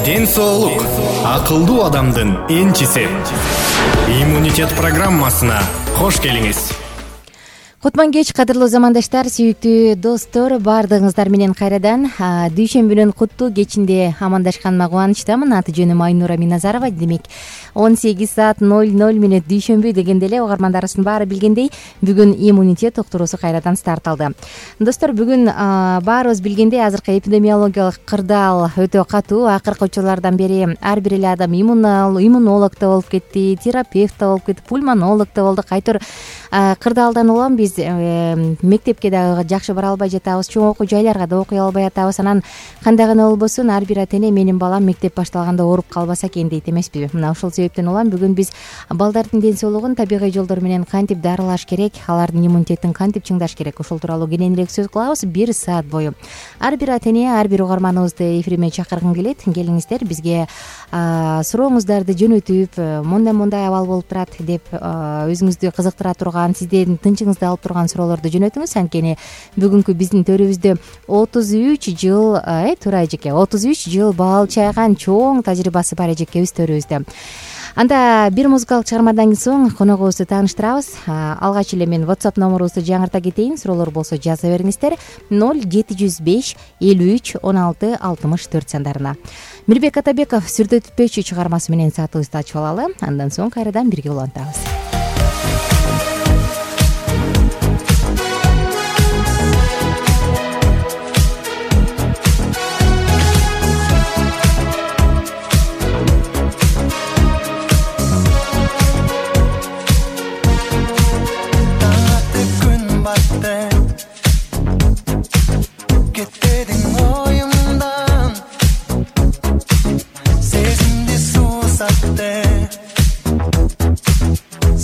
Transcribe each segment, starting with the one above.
Ден соолук акылдуу адамдын энчиси. Иммунитет программасына кош келиңиз. Кутман кеч, кадырлуу замандаштар, сүйүктүү достор, баардыгыңыздар менен кайрадан дүйшөмбүнүн куттуу кечинде амандашканыма кубанычтамын. Аты жөнүм Айнура Миназарова. Демек 18:00 дүйшөмбү дегенде эле угармандарыбыздын баары билгендей, бүгүн иммунитет уктуруусу кайрадан старт алды. Достор, бүгүн баарыбыз билгендей, азыркы эпидемиологиялык кырдаал өтө катуу. Акыркы учурлардан бери ар бир эле адам иммунолог да болуп кетти, терапевт да болуп кетти, пульмонолог да болду. Кайтор кырдаалдан улам биз мектепке дагы жакшы бара албай жатабыз, чоң окуу жайларга да окуй албай атабыз. Анан кандай гана болбосун, ар бир ата эне менин балам мектеп башталганда ооруп калбаса экен дейт эмеспи. Мына ошол себептен улам бүгүн биз балдардын ден соолугун табигый жолдор менен кантип дарылаш керек, алардын иммунитетин кантип чыңдаш керек, ошол тууралуу кененирээк сөз кылабыз 1 саат бою. Ар бир ата эне, ар бир угарманыбызды эфириме чакыргым келет. Келиңиздер, бизге сурооңуздарды жөнөтүп, мындай абал болуп турат деп өзүңүздү кызыктыра турган, сиздердин тынчыңызды алып турган суроолорду жөнөтүңүз. Анткени бүгүнкү биздин төрүбүздө 33 жыл туура эжеке 33 жыл бал чайган чоң тажрыйбасы бар эжекебиз төрүбүздө. Анда бир музыкалык чыгармадан соң коногубузду тааныштырабыз. Алгач эле мен WhatsApp номерубузду жаңырта кетейин. Суроолор болсо жаза бериңиздер 0705 53 16 64 сандарына. Мирбек Атабеков сүрдөтпөчү чыгармасы менен саатыбызды ачып алалы. Андан соң кайрадан бирге улантабыз.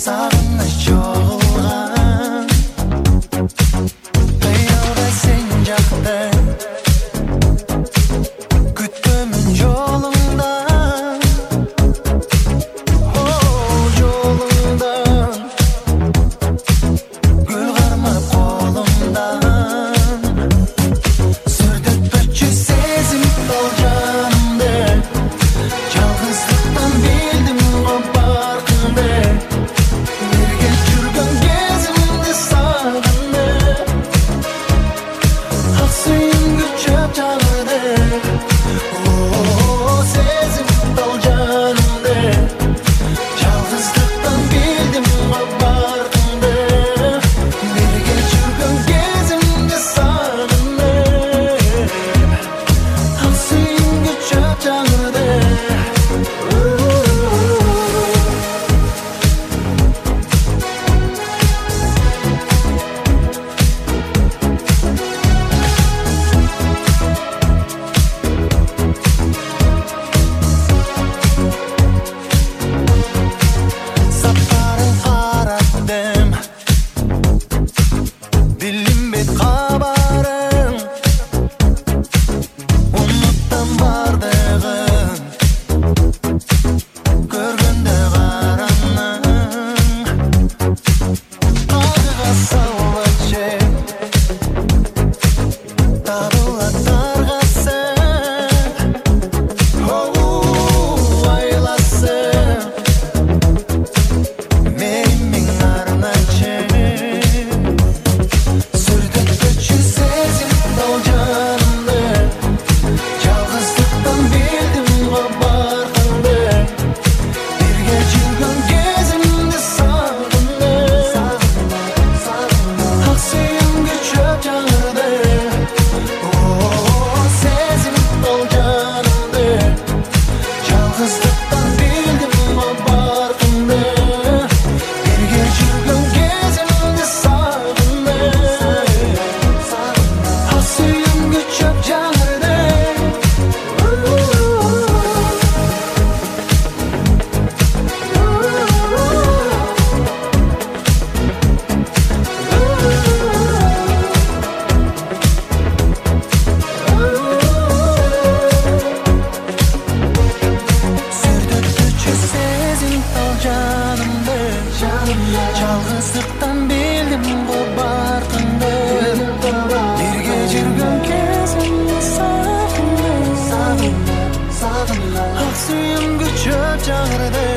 Sağınmış çok ак сүйүмгө чөп жагырды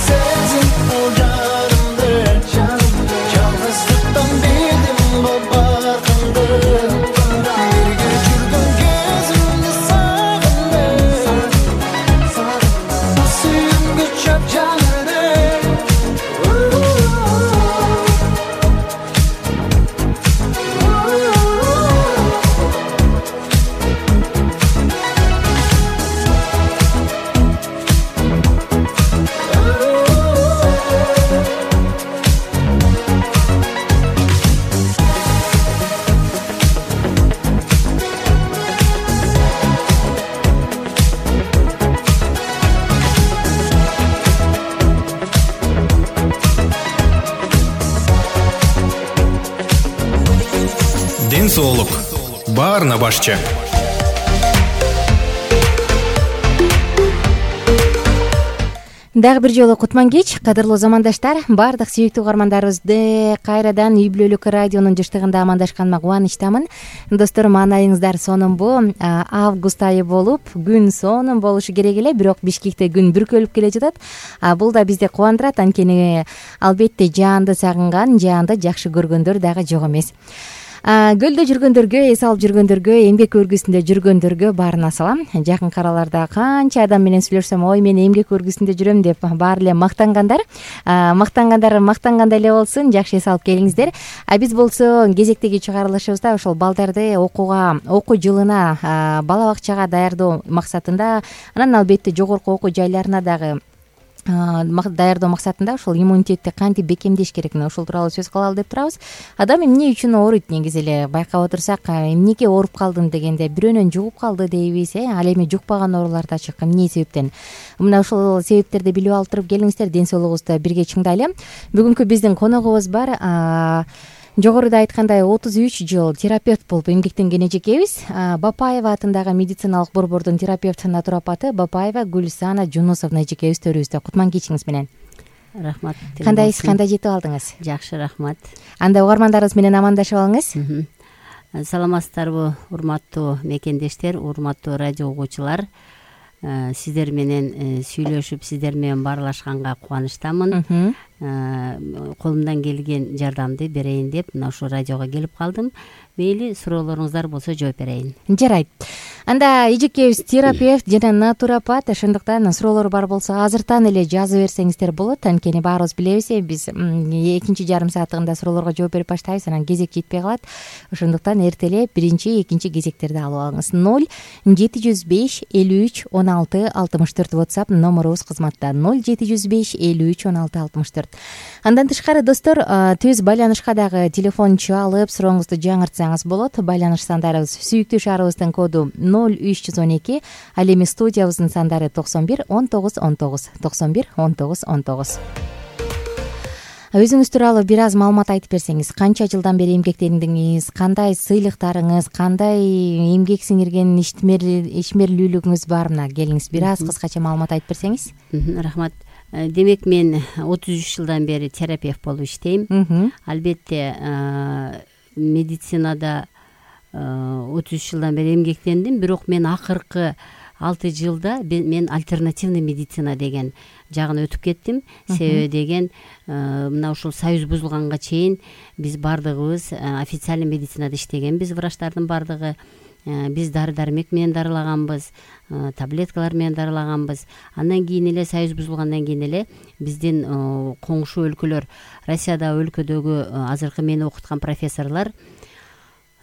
сезим ол жарымды жалгыздыктан билдим баркынды бирге жүргөн кезимди сагындым ак сүйүмгө чөп жагырды ден соолук баарына башчы. Дагы бир жолу кутман кеч, кадырлуу замандаштар. Баардык сүйүктүү угармандарыбызды кайрадан Үй бүлөлүк радионун жыштыгында амандаштаныма кубанычтамын. Достор, маанайыңыздар сонунбу? Август айы болуп, күн сонун болушу керек эле, бирок Бишкекте күн бүркөлүп келе жатат. Бул да бизди кубандырат, анткени албетте жаанды сагынган, жаанды жакшы көргөндөр дагы жок эмес. Көлдө жүргөндөргө, эс алып жүргөндөргө, эмгек өргүсүндө жүргөндөргө баарына салам. Жакынкы араларда канча адам менен сүйлөшсөм, ой мен эмгек өргүсүндө жүрөм деп баары эле мактангандар мактангандай эле болсун, жакшы эс алып келиңиздер. Биз болсо кезектеги чыгарылышыбызда ошол балдарды окуу жылына, бала бакчага даярдоо максатында, анан албетте жогорку окуу жайларына дагы даярдоо максатында ошол иммунитетти кантип бекемдеш керектигин ошол тууралуу сөз кылалы деп турабыз. Адам эмне үчүн ооруйт негизи эле байкап отурсак, эмнеге ооруп калдым дегенде бирөөнөн жугуп калды дейбиз, ал эми жукпаган оорулар да чыккан. Эмне себептен? Мына ошол себептерди билип алып туруп келиңиздер, ден соолугубузду бирге чыңдайлы. Бүгүнкү биздин коногубуз бар. Жогоруда айткандай 33 жыл терапевт болуп эмгектенген эжекебиз. Бапаева атындагы медициналык борбордун терапевт натуропаты Бапаева Гүлсана Жунусовна эжекебиз төрүбүздө. Кутман кечиңиз менен. Рахмат. Кандайсыз, кандай жетип алдыңыз? Жакшы, рахмат. Анда угармандарыбыз менен амандашып алыңыз. Саламатсыздарбы, урматтуу мекендештер, урматтуу радио угуучулар. Сиздер менен сүйлөшүп, сиздер менен баарлашканга кубанычтамын. Колумдан келген жардамды берейин деп мына ушул радиого келип калдым. Мейли, суроолоруңуздар болсо жооп берейин. Жарайт. Анда эжекебиз терапевт жана натуропат, ошондуктан суроолор бар болсо азыртан эле жазып берсеңиздер болот. Анткени баарыбыз билебиз, биз экинчи жарым сааттыгында суроолорго жооп берип баштайбыз, анан кезек жетпей калат. Ошондуктан эртелеп биринчи, экинчи кезектерди алып алыңыз. 0705 53 16 64 WhatsApp номерубуз кызматта. 0705 53 16 64. Андан тышкары достор, түз байланышка дагы телефон чалып сурооңузду жаңыртсаңыз болот. Байланыш сандарыбыз сүйүктүү шаарыбыздын коду 0312, ал эми студиябыздын сандары 91 19 19 91 19 19. Өзүңүз тууралуу бир аз маалымат айтып берсеңиз, канча жылдан бери эмгектендиңиз, кандай сыйлыктарыңыз, кандай эмгек сиңирген ишмерлүүлүгүңүз бар? Мына келиңиз, бир аз кыскача маалымат айтып берсеңиз. Рахмат. Демек, мен 33 жылдан бери терапевт болуп иштейм. Албетте медицинада 33 жылдан бери эмгектендим, бирок мен акыркы 6 жылда мен альтернативный медицина деген жагына өтүп кеттим. Себеби деген, мына ушул союз бузулганга чейин биз бардыгыбыз официальный медицинада иштегенбиз, врачтардын бардыгы. Биз дары-дармек менен дарылаганбыз, таблеткалар менен дарылаганбыз. Андан кийин эле, союз бузулгандан кийин эле биздин коңшу өлкөлөр, Россияда өлкөдөгү азыркы мени окуткан профессорлор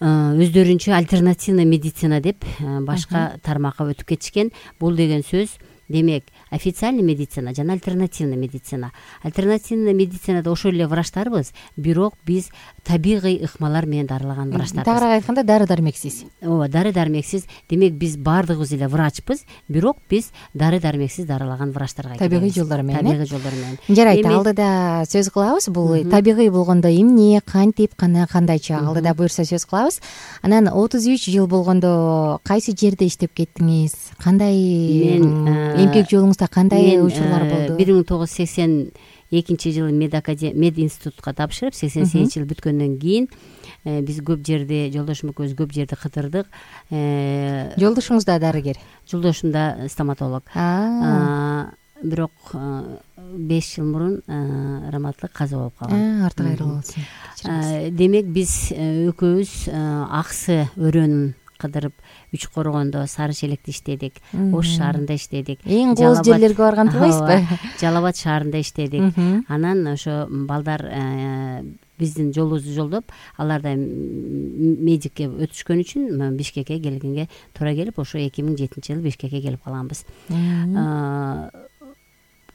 өздөрүнчө альтернативный медицина деп башка тармакка өтүп кетишкен. Бул деген сөз, демек, официальный медицина жана альтернативный медицина. Альтернативный медицинада ошол эле врачтарбыз, бирок биз табигый ыкмалар менен дарылаган врачтарбыз. Тагыраак айтканда, дары-дармексиз. Ооба, дары-дармексиз. Демек, биз баардыгыбыз эле врачпыз, бирок биз дары-дармексиз дарылаган врачтарга келебиз. Табигый жолдор менен. Табигый жолдор менен. Жарайт, алдыда сөз кылабыз. Бул табигый болгондо эмне, кантип, кандайча, алдыда буюрса сөз кылабыз. Анан 33 жыл болгондо кайсы жерде иштеп кеттиңиз? Кандай эмгек жолуңузда кандай учурлар болду? 1982 жылы мед институтка тапшырып, 88 жыл бүткөндөн кийин биз көп жерди, жолдошум экөөбүз көп жерди кыдырдык. Жолдошуңуз да дарыгер? Жолдошум да стоматолог. Бирок 5 жыл мурун раматтылык каза болуп калган. Арты кайрылуу болсун. Демек биз экөөбүз Аксы өрөөнүн кыдырып, Үч Коргондо, Сары Шелекте иштедик, Ош шаарында иштедик. Эң кооз жерлерге барган турбайсызбы? Жалал Абад шаарында иштедик. Анан ошо балдар биздин жолубузду жолдоп, алар да медикке өтүшкөн үчүн Бишкекке келгенге туура келип, ошо 2007-жылы Бишкекке келип калганбыз.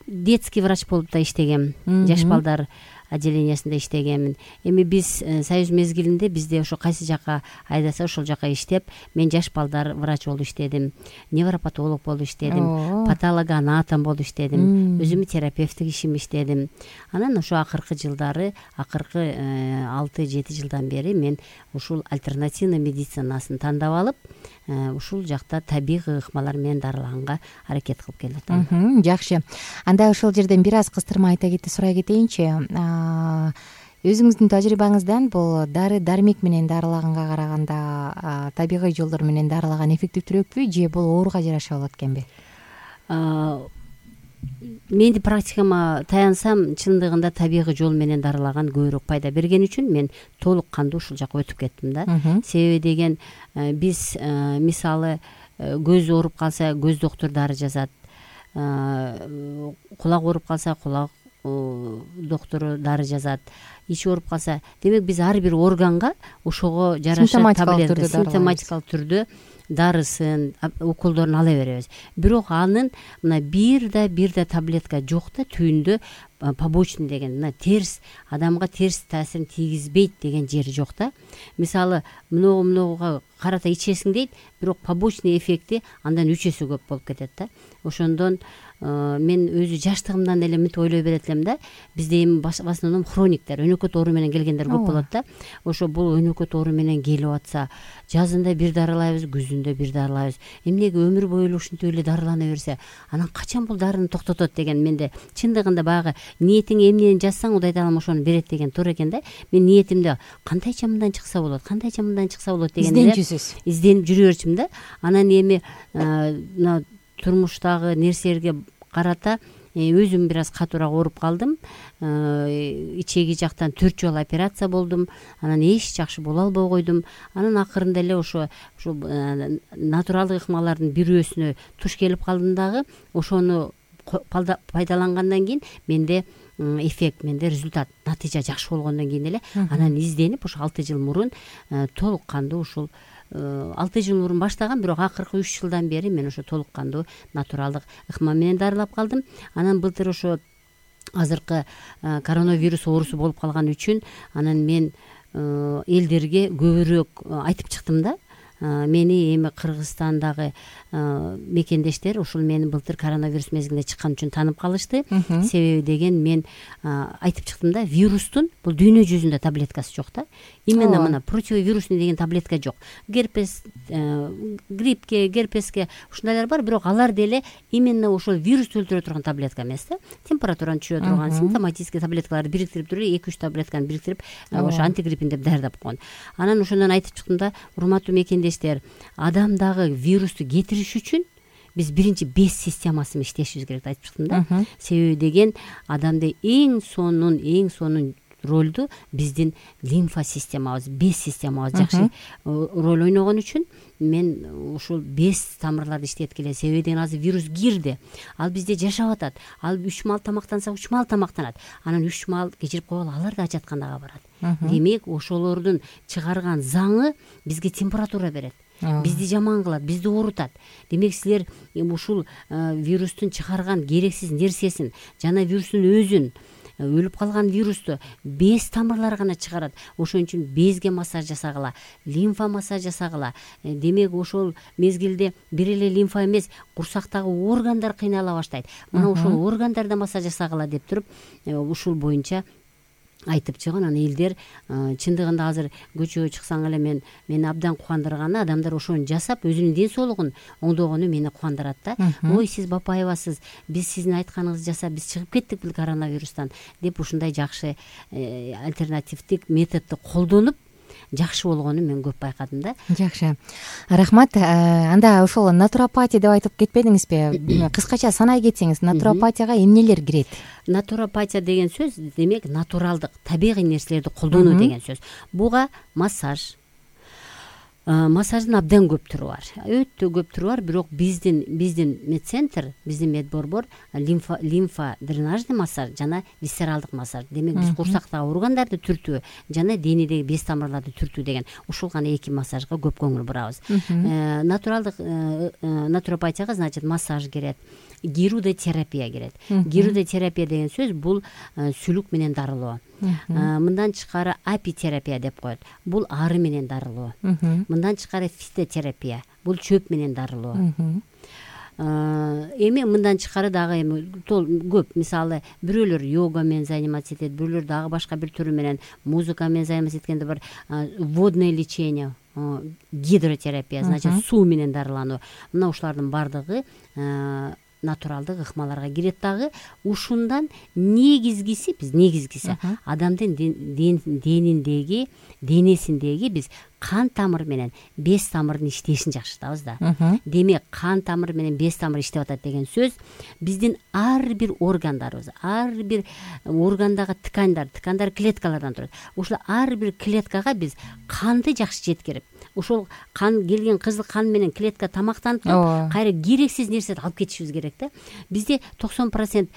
Детский врач болуп да иштегем. Жаш балдар отделениясында иштегемин. Эми биз союз мезгилинде бизде ошо кайсы жака айдаса ошол жака иштеп, мен жаш балдар врач болуп иштедим, невропатолог болуп иштедим, патологоанатом болуп иштедим, өзүмдүн терапевттик ишимди иштедим. Анан ошо акыркы жылдары, акыркы 6-7 жылдан бери мен ушул альтернативный медицинасын тандап алып, ушул жакта табигый ыкмалар менен дарылаганга аракет кылып келип атам. Жакшы. Анда ошол жерден бир аз кыстырма айта сурай кетейинчи. Өзүңүздүн тажрыйбаңыздан бул дары дармек менен дарылаганга караганда табигый жолдор менен дарылаган эффективдүүрөкпү, же бул ооруга жараша болот экенби? Менин практикама таянсам, чындыгында табигый жол менен дарылаган көбүрөөк пайда берген үчүн мен толук кандуу ушул жака өтүп кеттим да. Себеби деген биз мисалы көз ооруп калса көз доктур дары жазат, кулак ооруп калса кулак доктору дары жазат, ич ооруп калса, демек биз ар бир органга ошого жараша таблетка симптоматикалык түрдө дарысын, уколдорун ала беребиз. Бирок анын мына бир да таблетка жок да, түбүндө побочный деген, мына терс, адамга терс таасирин тийгизбейт деген жери жок да. Мисалы, многуга карата ичесиң дейт, бирок побочный эффекти андан 3 эсе көп болуп кетет да. Ошондон мен өзү жаштыгымдан эле мынтип ойлой берет элем да. Бизде эми в основном хрониктер, өнөкөт оору менен келгендер көп болот да. Ошо бул өнөкөт оору менен келип атса, жазында бир дарылайбыз, күзүндө бир дарылайбыз. Эмнеге өмүр бою эле ушинтип эле дарылана берсе, анан качан бул дарыны токтотот деген менде чындыгында баягы ниетиңе эмнени жазсаң, Кудай таалам ошону берет деген туура экен да. Мен ниетимде кандайча мындан чыкса болот, кандайча мындан чыкса болот дегенде изденип жүрө берчүмүн да. Анан эми мына турмуштагы нерселерге карата өзүм бир аз катуураак ооруп калдым. Ичеги жактан 4 жолу операция болдум. Анан эч жакшы боло албай койдум. Анан акырында эле ошо натуралдык ыкмалардын бирөөсүнө туш келип калдым дагы. Ошону пайдалангандан кийин менде эффект, менде результат, натыйжа жакшы болгондон кийин эле анан изденип ошо 6 жыл мурун толук кандуу ушул 6 жыл мурун баштаган, бирок акыркы 3 жылдан бери мен ошо толук кандуу натуралдык ыкма менен дарылап калдым. Анан былтыр ошо азыркы коронавирус оорусу болуп калган үчүн анан мен элдерге көбүрөөк айтып чыктым да. Мени эми Кыргызстандагы мекендештер ушул мени былтыр коронавирус мезгилинде чыккан үчүн таанып калышты. Себеби деген мен айтып чыктым да, вирустун бул дүйнө жүзүндө таблеткасы жок да. Именно мына противовирусный деген таблетка жок. Герпес, гриппке, герпеске ушундайлар бар, бирок алар деле именно ошол вирусту өлтүрө турган таблетка эмес да. Температураны түшүрө турган симптоматический таблеткаларды бириктирип туруп, 2-3 таблетканы бириктирип, ошо антигриппин деп даярдап койгон. Анан ошондон айтып чыктым да, урматтуу мекендештер, адамдагы вирусту кетириш үчүн биз биринчи без системасы менен иштешибиз керек деп айтып чыктым да. Себеби деген адамда эң сонун ролду биздин лимфа системабыз, без системабыз жакшы роль ойногон үчүн мен ушул без тамырларды иштеткиле. Себеби деген азыр вирус кирди. Ал бизде жашап атат. Ал 3 маал тамактанса 3 маал тамактанат. Анан 3 маал кечирип койгола, алар да ачаткандага барат. Демек ошолордун чыгарган заңы бизге температура берет. Бизди жаман кылат, бизди оорутат. Демек силер ушул вирустун чыгарган керексиз нерсесин жана вирустун өзүн, өлүп калган вирусту без тамырлар гана чыгарат. Ошон үчүн безге массаж жасагыла, лимфа массаж жасагыла. Демек ошол мезгилде бир эле лимфа эмес, курсактагы органдар кыйнала баштайт. Мына ошол органдарда массаж жасагыла деп туруп ушул боюнча айтып чыгын. Анан элдер чындыгында азыр көчөгө чыксаң эле мени абдан кубандырганы, адамдар ошону жасап өзүнүн ден соолугун оңдогону мени кубандырат да. Ой, сиз бапаевасыз, биз сиздин айтканыңызды жасап биз чыгып кеттик бул коронавирустан деп ушундай жакшы альтернативдик методду колдонуп жакшы болгонун мен көп байкадым да. Жакшы, рахмат. Анда ошол натуропатия деп айтып кетпедиңизби? Кыскача санай кетсеңиз, натуропатияга эмнелер кирет? Натуропатия деген сөз демек натуралдык, табигый нерселерди колдонуу деген сөз. Буга массаждын абдан көп түрү бар, өтө көп түрү бар. Бирок биздин медцентр, биздин медборбор лимфа дренажный массаж жана висцералдык массаж. Демек биз курсактагы органдарды түртүү жана денедеги без тамырларды түртүү деген ушул гана эки массажга көп көңүл бурабыз. Натуралдык натуропатияга значит массаж кирет, гирудотерапия кирет. Гирудотерапия деген сөз бул сүлүк менен дарылоо. Мындан тышкары апитерапия деп коет. Бул ары менен дарылоо. Мындан тышкары фитотерапия. Бул чөп менен дарылоо. Эми мындан тышкары дагы көп. Мисалы, бирөөлөр йога менен заниматься этет, бирөөлөр дагы башка бир түрү менен музыка менен заниматься эткенде бар. Водное лечение, гидротерапия, значит суу менен дарылануу. Мына ушулардын бардыгы натуралдык ыкмаларга кирет дагы. Ушундан негизгиси адамдын денесиндеги биз кан тамыр менен без тамырдын иштешин жакшыртабыз да. Демек кан тамыр менен без тамыр иштеп атат деген сөз биздин ар бир органдарыбыз, ар бир органдагы ткандар клеткалардан турат. Ушул ар бир клеткага биз канды жакшы жеткирип, ошол кан келген кызыл кан менен клетка тамактанып туруп, кайра керексиз нерселерди алып кетишибиз керек да. Бизде 90%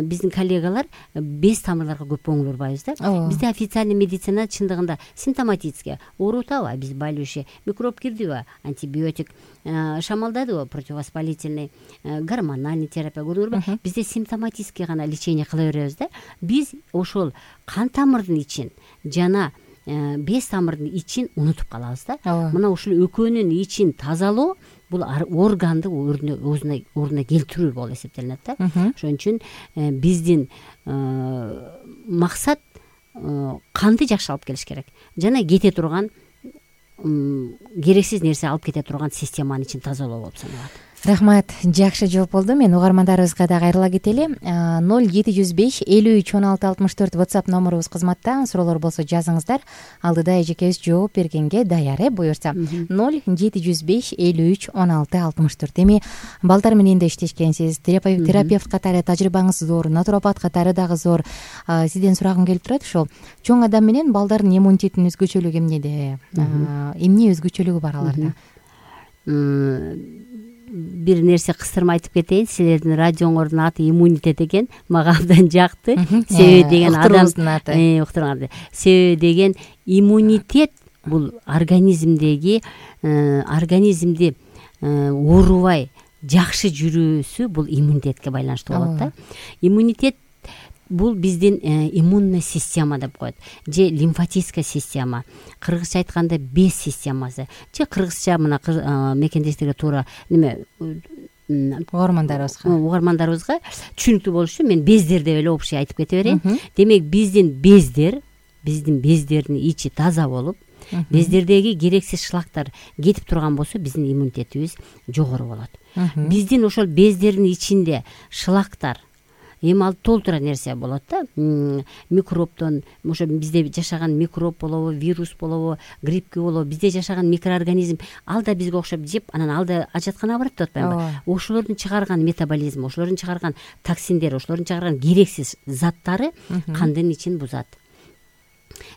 биздин коллегалар без тамырларга көп көңүл бурбайбыз да. Бизде официальный медицина чындыгында симптоматический оорутабы, обезболивающий, микроб кирдиби, антибиотик, шамалдадыбы, противовоспалительный, гормональный терапия көрдүңүзбү? Бизде симптоматический гана лечение кыла беребиз да. Биз ошол кан тамырдын ичин жана без тамырдын ичин унутуп калабыз да. Мына ушул экөөнүн ичин тазалоо бул органды ордуна келтирүү болуп эсептелинет да. Ошон үчүн биздин максат канды жакшы алып келиш керек жана кете турган керексиз нерсе алып кете турган системанын ичин тазалоо болуп саналат. Рахмат, жакшы жооп болду. Мен угармандарыбызга дагы кайрыла кетели. 0705 53 16 64 WhatsApp номерубуз кызматта. Суроолор болсо жазыңыздар. Алдыда эжекебиз жооп бергенге даяр, буюрса. 0705 53 16 64. Эми балдар менен да иштешкенсиз, терапевт катары тажрыйбаңыз зор, натуропат катары дагы зор. Сизден сурагым келип турат ушул. Чоң адам менен балдардын иммунитетинин өзгөчөлүгү эмнеде? Эмне өзгөчөлүгү бар аларда? Бир нерсе кыстырма айтып кетейин. Силердин радиоңордун аты иммунитет экен. Мага абдан жакты. Себеби деген уктуруубуздун аты. Уктурганда. Себеби деген иммунитет бул организмди оорубай жакшы жүрүүсү бул иммунитетке байланыштуу болот да. Иммунитет бул биздин иммунный система деп коет. Же лимфатическая система. Кыргызча айтканда без системасы. Же кыргызча мына мекендештерге туура угармандарыбызга түшүнүктүү болуш үчүн мен бездер деп эле общий айтып кете берейин. Демек биздин бездердин ичи таза болуп, бездердеги керексиз шлактар кетип турган болсо биздин иммунитетибиз жогору болот. Биздин ошол бездердин ичинде шлактар эми ал толтура нерсе болот да. Микробдон, ошо бизде жашаган микроб болобу, вирус болобу, гриппке болобу, бизде жашаган микроорганизм, ал да бизге окшоп жеп, анан ал да ажатканага барат деп атпаймынбы? Ошолордун чыгарган метаболизм, ошолордун чыгарган токсиндер, ошолордун чыгарган керексиз заттары кандын ичин бузат.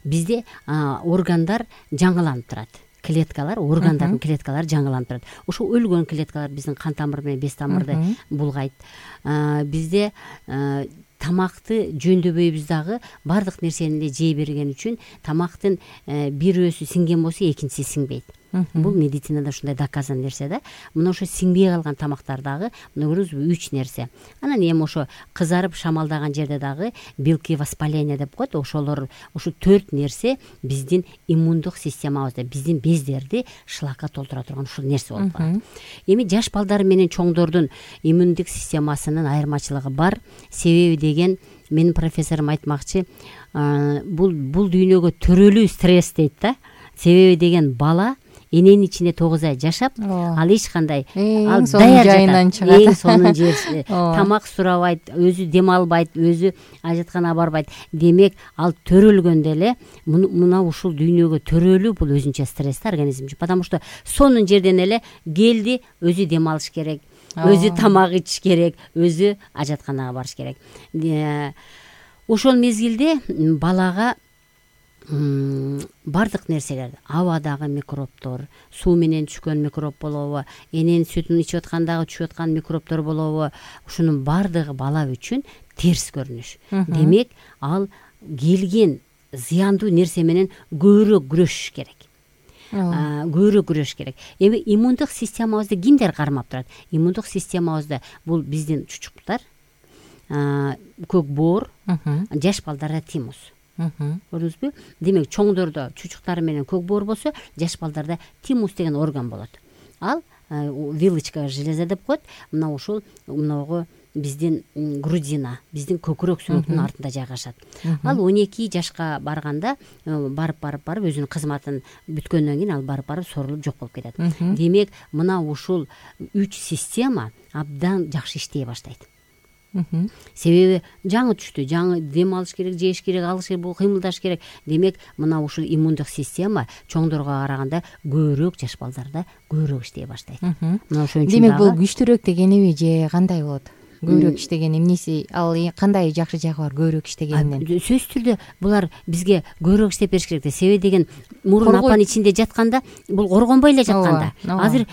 Бизде органдар жаңыланып турат. Органдардын клеткалары жаңыланып турат. Ошо өлгөн клеткалар биздин кан тамыр менен без тамырды булгайт. Бизде тамакты жөндөбөйбүз дагы, бардык нерсени эле жей берген үчүн тамактын бирөөсү сиңген болсо экинчиси сиңбейт. Бул медицинада ушундай доказан нерсе да. Мына ошо сиңбей калган тамактар дагы, мына көрүңүзбү, 3 нерсе. Анан эми ошо кызарып шамалдаган жерде дагы белки воспаления деп коет. Ошолор, ошо 4 нерсе биздин иммундук системабызда, биздин бездерди шлакка толтура турган ушул нерсе болуп калат. Эми жаш балдар менен чоңдордун иммундук системасынын айырмачылыгы бар. Себеби деген менин профессорум айтмакчы, бул дүйнөгө төрөлүү стресс дейт да. Себеби деген бала эненин ичинде 9 ай жашап, ал эч кандай ал сонун жайынан чыгат. Эң сонун жер. Тамак сурабайт, өзү дем албайт, өзү ажатканага барбайт. Демек, ал төрөлгөндө эле мына ушул дүйнөгө төрөлүү бул өзүнчө стресс организм үчүн. Потому что сонун жерден эле келди, өзү дем алыш керек, өзү тамак ичиш керек, өзү ажатканага барыш керек. Ошол мезгилде балага бардык нерселер, абадагы микробтор, суу менен түшкөн микроб болобу, эненин сүтүн ичип аткандагы түшүп аткан микробтор болобу, ушунун бардыгы бала үчүн терс көрүнүш. Демек, ал келген зыяндуу нерсе менен көбүрөөк күрөшүш керек. Көбүрөөк күрөшүш керек. Эми иммундук системабызды кимдер кармап турат? Иммундук системабызды бул биздин чучуктар, көк боор, жаш балдарда тимус. Көрдүңүзбү? Демек, чоңдордо чучуктар менен көк боор болсо, жаш балдарда тимус деген орган болот. Ал вилочка железа деп коет. Мына ушул мынагы биздин грудина, биздин көкүрөк сүйөктүнүн артында жайгашат. Ал 12 жашка барганда барып өзүнүн кызматын бүткөндөн кийин ал барып сорулуп жок болуп кетет. Демек, мына ушул 3 система абдан жакшы иштей баштайт. Себеби жаңы түштү, жаңы дем алыш керек, жеш керек, алыш керек, бул кыймылдаш керек. Демек, мына ушул иммундук система чоңдорго караганда көбүрөөк, жаш балдарда көбүрөөк иштей баштайт. Мына ошон үчүн демек, бул күчтүүрөөк дегениби же кандай болот? Көбүрөөк иштеген эмнеси, ал кандай жакшы жагы бар көбүрөөк иштегенинен? Сөзсүз түрдө булар бизге көбүрөөк иштеп бериш керек. Себеби деген мурун апанын ичинде жатканда бул коргонбой эле жатканда. Азыр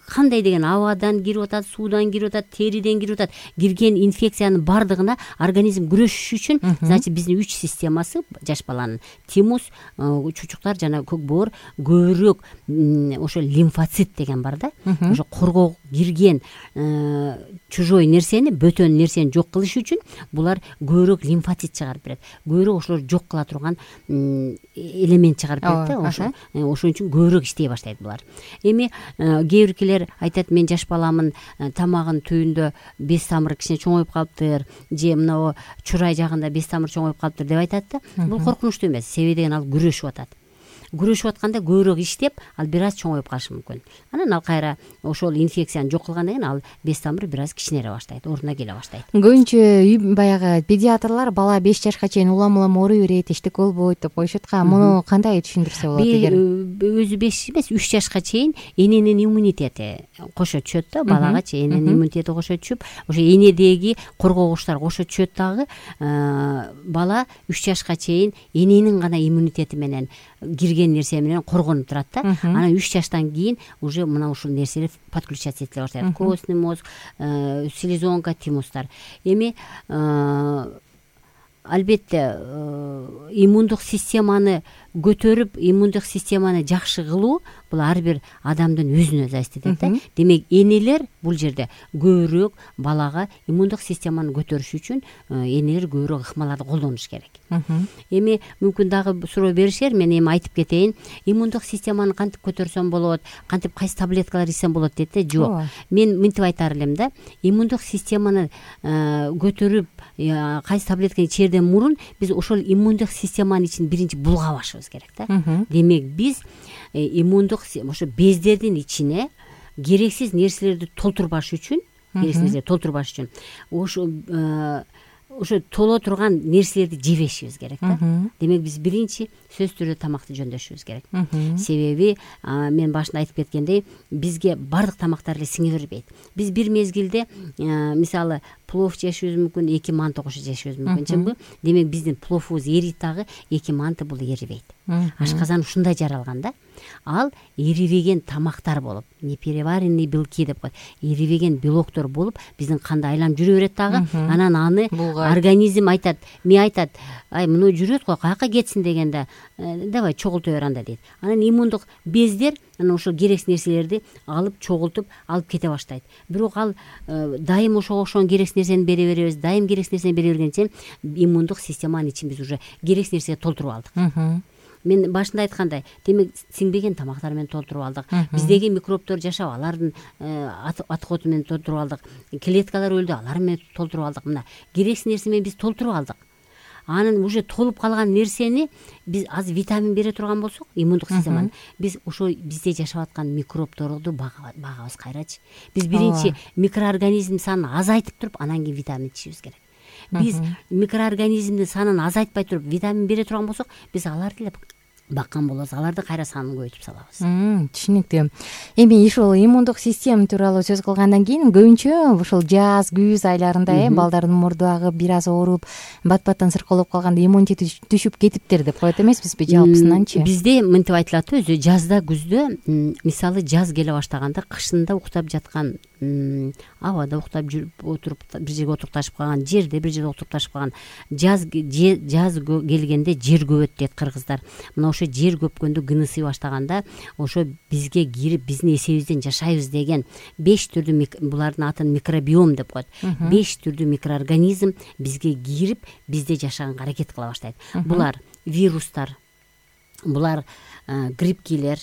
кандай деген абадан кирип атат, суудан кирип атат, териден кирип атат. Кирген инфекциянын бардыгына организм күрөшүш үчүн, значит, биздин 3 системасы жаш баланын тимус, чучуктар жана көк боор көбүрөөк ошо лимфоцит деген бар да. Ошо коргоо кирген чужой нерсени, бөтөн нерсени жок кылыш үчүн булар көбүрөөк лимфоцит чыгарып берет. Көбүрөөк ошолор жок кыла турган элемент чыгарып берет да. Ошон үчүн көбүрөөк иштей баштайт булар. Эми кээ биркилер айтат, мен жаш баламын тамагын түбүндө бес тамыр кичине чоңоюп калыптыр, же мына чурай жагында бес тамыр чоңоюп калыптыр деп айтат да. Бул коркунучтуу эмес. Себеби деген ал күрөшүп атат. Күрөшүп атканда көбүрөөк иштеп, ал бир аз чоңоюп калышы мүмкүн. Анан ал кайра ошол инфекцияны жок кылгандан кийин ал бес тамыр бир аз кичинере баштайт, ордуна келе баштайт. Көбүнчө баягы педиатрлар бала 5 жашка чейин улам ооруй берет, эчтеке болбойт деп коюшат. Муну кандай түшүндүрсө болот эгер? Өзү 5 эмес, 3 жашка чейин эненин иммунитети кошо түшөт да, балага чейин эненин иммунитети кошо түшүп, ошо энедеги коргогучтар кошо түшөт дагы. Бала 3 жашка чейин эненин гана иммунитети менен кирген нерсе менен коргонуп турат да. Анан 3 жаштан кийин уже мына ушул нерселер подключаться этиле баштайт. Костный мозг, селезонка, тимустар. Эми албетте иммундук системаны көтөрүп, иммундук системаны жакшы кылуу бул ар бир адамдын өзүнө зависит этет да. Демек, энелер бул жерде көбүрөөк балага иммундук системаны көтөрүш үчүн энелер көбүрөөк ыкмаларды колдонуш керек. Эми мүмкүн дагы суроо беришер, мен эми айтып кетейин. Иммундук системаны кантип көтөрсөм болот, кантип кайсы таблеткалар ичсем болот дейт да. Жок. Мен мынтип айтар элем да. Иммундук системаны көтөрүп, кайсы таблетканы ичерден мурун биз ошол иммундук системанын ичин биринчи булгабашыбыз керек да. Демек, биз иммундук ошо бездердин ичине керексиз нерселерди толтурбаш үчүн, ошо толо турган нерселерди жебешибиз керек да. Демек, биз биринчи сөзсүз түрдө тамакты жөндөшүбүз керек. Себеби мен башында айтып кеткендей, бизге бардык тамактар эле сиңе бербейт. Биз бир мезгилде мисалы плов жешибиз мүмкүн, 2 манты кошо жешибиз мүмкүн, чынбы? Демек, биздин пловубуз эрийт дагы, 2 манты бул эрибейт. Ашказан ушундай жаралган да. Ал эрибеген тамактар болуп, непереваренный белки деп коет. Эрибеген белоктор болуп, биздин канда айланып жүрө берет дагы. Анан аны организм айтат, ай, муну жүрөт го, каяка кетсин дегенде, давай чогулта бер анда дейт. Анан иммундук бездер анан ошол керексиз нерселерди алып чогултуп алып кете баштайт. Бирок ал дайым ошого окшогон керексиз нерсени бере беребиз, дайым керексиз нерсени бере бергенче иммундук системанын ичин биз уже керексиз нерсеге толтуруп алдык. Мен башында айткандай, демек, сиңбеген тамактар менен толтуруп алдык. Биздеги микробтор жашап, алардын аткоту менен толтуруп алдык. Клеткалар өлдү, алар менен толтуруп алдык. Мына керексиз нерсе менен биз толтуруп алдык. анын уже толуп калган нерсени биз аз витамин бере турган болсок, иммундук системаны биз ошо бизде жашап аткан микробторду багабыз кайрачы. Биз биринчи микроорганизм санын азайтып туруп, анан кийин витамин ичишибиз керек. Биз микроорганизмдин санын азайтпай туруп витамин бере турган болсок, биз аларды эле баккан болобуз, аларды кайра санын көбөйтүп салабыз. Түшүнүктүү. Эми ушул иммундук система тууралуу сөз кылгандан кийин көбүнчө ушул жаз, күз айларында балдардын мурду агып, бир аз ооруп, бат-баттан сыркоолоп калганда иммунитети түшүп кетиптир деп коет эмеспизби жалпысынанчы? Бизде мынтип айтылат өзү, жазда, күздө, мисалы жаз келе баштаганда, кышында уктап жаткан, абада уктап жүрүп отуруп бир жерге отурукташып калган, жерде бир жерде отурукташып калган, жаз келгенде жер көбөт дейт кыргыздар. Мына ошо жер көпкөндө, гынысый баштаганда ошо бизге кирип, биздин эсебибизден жашайбыз деген 5 түрдүү, булардын атын микробиом деп коет. 5 түрдүү микроорганизм бизге кирип, бизде жашаганга аракет кыла баштайт. Булар вирустар, булар грибкилер,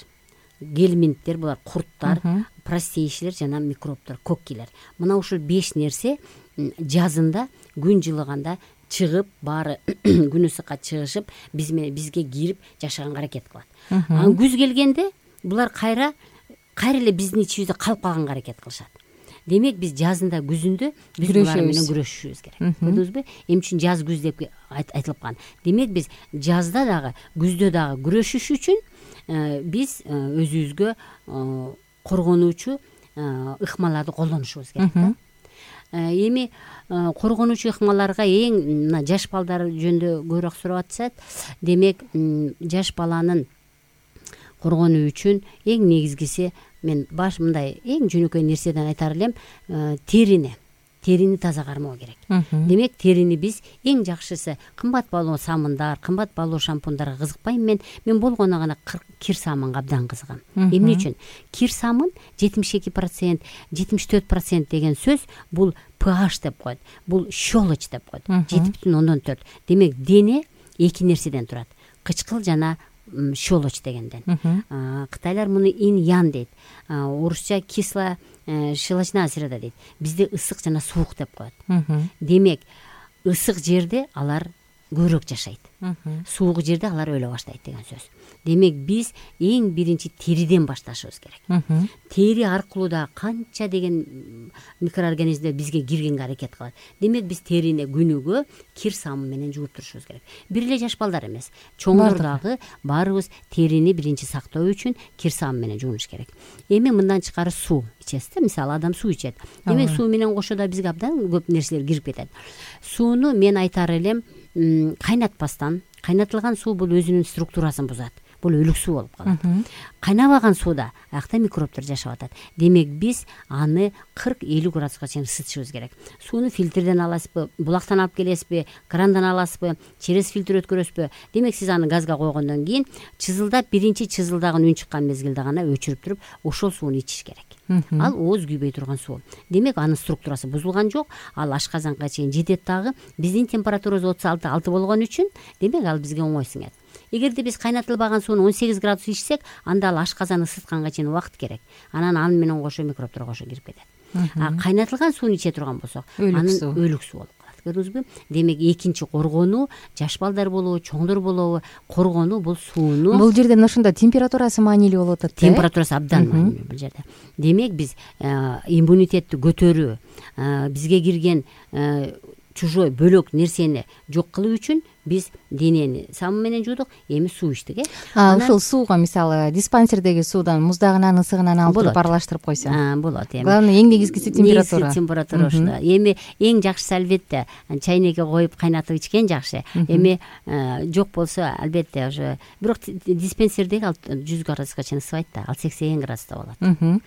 гельминттер, булар курттар, простейшилер жана микробтор, коккилер. Мына ушул 5 нерсе жазында, күн жылыганда чыгып, баары күн ысыкка чыгышып, бизге кирип жашаганга аракет кылат. Анан күз келгенде булар кайра эле биздин ичибизде калып калганга аракет кылышат. Демек биз жазында, күзүндө биз булар менен күрөшүшүбүз керек. Көрдүңүзбү? Эмне үчүн жаз, күз деп айтылып калган. Демек биз жазда дагы, күздө дагы күрөшүш үчүн биз өзүбүзгө коргонуучу ыкмаларды колдонушубуз керек да. Эми коргонуучу ыкмаларга эң мына жаш балдар жөнүндө көбүрөөк сурап атышат. Демек, жаш баланын коргонуу үчүн эң негизгиси, мен мындай эң жөнөкөй нерседен айтар элем, терини таза кармоо керек. Демек, терини биз эң жакшысы кымбат баалуу самындар, кымбат баалуу шампундарга кызыкпайм. Мен болгону гана кир самынга абдан кызыгам. Эмне үчүн? Кир самын 72%, 74% деген сөз бул pH деп коет. Бул щелочь деп коет. 7,4. Демек, дене эки нерседен турат. Кычкыл жана щелочь дегенден. Кытайлар муну инь-ян дейт. Орусча кисло щелочная среда дейт. Бизде ысык жана суук деп коет. Демек, ысык жерде алар көбүрөөк жашайт. Суук жерде алар өлө баштайт деген сөз. Демек, биз эң биринчи териден башташыбыз керек. Тери аркылуу да канча деген микроорганизмдер бизге киргенге аракет кылат. Демек, биз терини күнүгө кир самын менен жууп турушубуз керек. Бир эле жаш балдар эмес, чоңдор дагы баарыбыз терини биринчи сактоо үчүн кир самын менен жуунуш керек. Эми мындан тышкары суу ичесиз да, мисалы адам суу ичет. Демек, суу менен кошо да бизге абдан көп нерселер кирип кетет. Сууну мен айтар элем, кайнатпастан. Кайнатылган суу бул өзүнүн структурасын бузат. Бул өлүк суу болуп калат. Кайнабаган сууда аякта микробтор жашап атат. Демек, биз аны 40-50 градуска чейин ысытышыбыз керек. Сууну фильтрден аласызбы, булактан алып келесизби, крандан аласызбы, через фильтр өткөрөсүзбү? Демек, сиз аны газга койгондон кийин чызылдап, биринчи чызылдаган үн чыккан мезгилде гана өчүрүп туруп, ошол сууну ичиш керек. Ал ооз күйбөй турган суу. Демек, анын структурасы бузулган жок. Ал ашказанга чейин жетет дагы. Биздин температурабыз 36 болгон үчүн, демек, ал бизге оңой сиңет. Эгерде биз кайнатылбаган сууну 18 градус ичсек, анда ал ашказаны ысытканга чейин убакыт керек. Анан аны менен кошо микробтор кошо кирип кетет. Кайнатылган сууну иче турган болсок, анын өлүк суу болуп калат. Көрдүңүзбү? Демек, экинчи коргонуу, жаш балдар болобу, чоңдор болобу, коргонуу бул сууну. Бул жерде ошондо температурасы маанилүү болуп атат. Температурасы абдан маанилүү бул жерде. Демек, биз иммунитетти көтөрүү, бизге кирген чужой бөлөк нерсени жок кылуу үчүн биз денени самын менен жуудук, эми суу ичтик, Ушул сууга мисалы диспансердеги суудан муздагынан, ысыгынан алып туруп аралаштырып койсо. Болот. Главное, эң негизгиси температура. Температура ошо. Эми эң жакшысы албетте чайнекке коюп кайнатып ичкен жакшы. Эми жок болсо албетте уже, бирок диспансердеги 100 градуска чейин ысыбайт да, ал 80 градуста болот.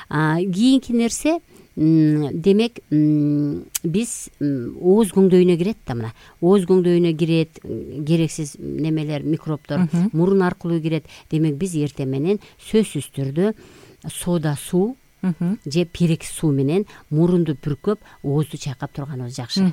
Кийинки нерсе, демек, биз ооз көңдөйүнө кирет да, мына. Ооз көңдөйүнө кирет, керексиз немелер, микробтор мурун аркылуу кирет. Демек, биз эртең менен сөзсүз түрдө сода суу же перекс суу менен мурунду пүркөп, оозду чайкап турганыбыз жакшы.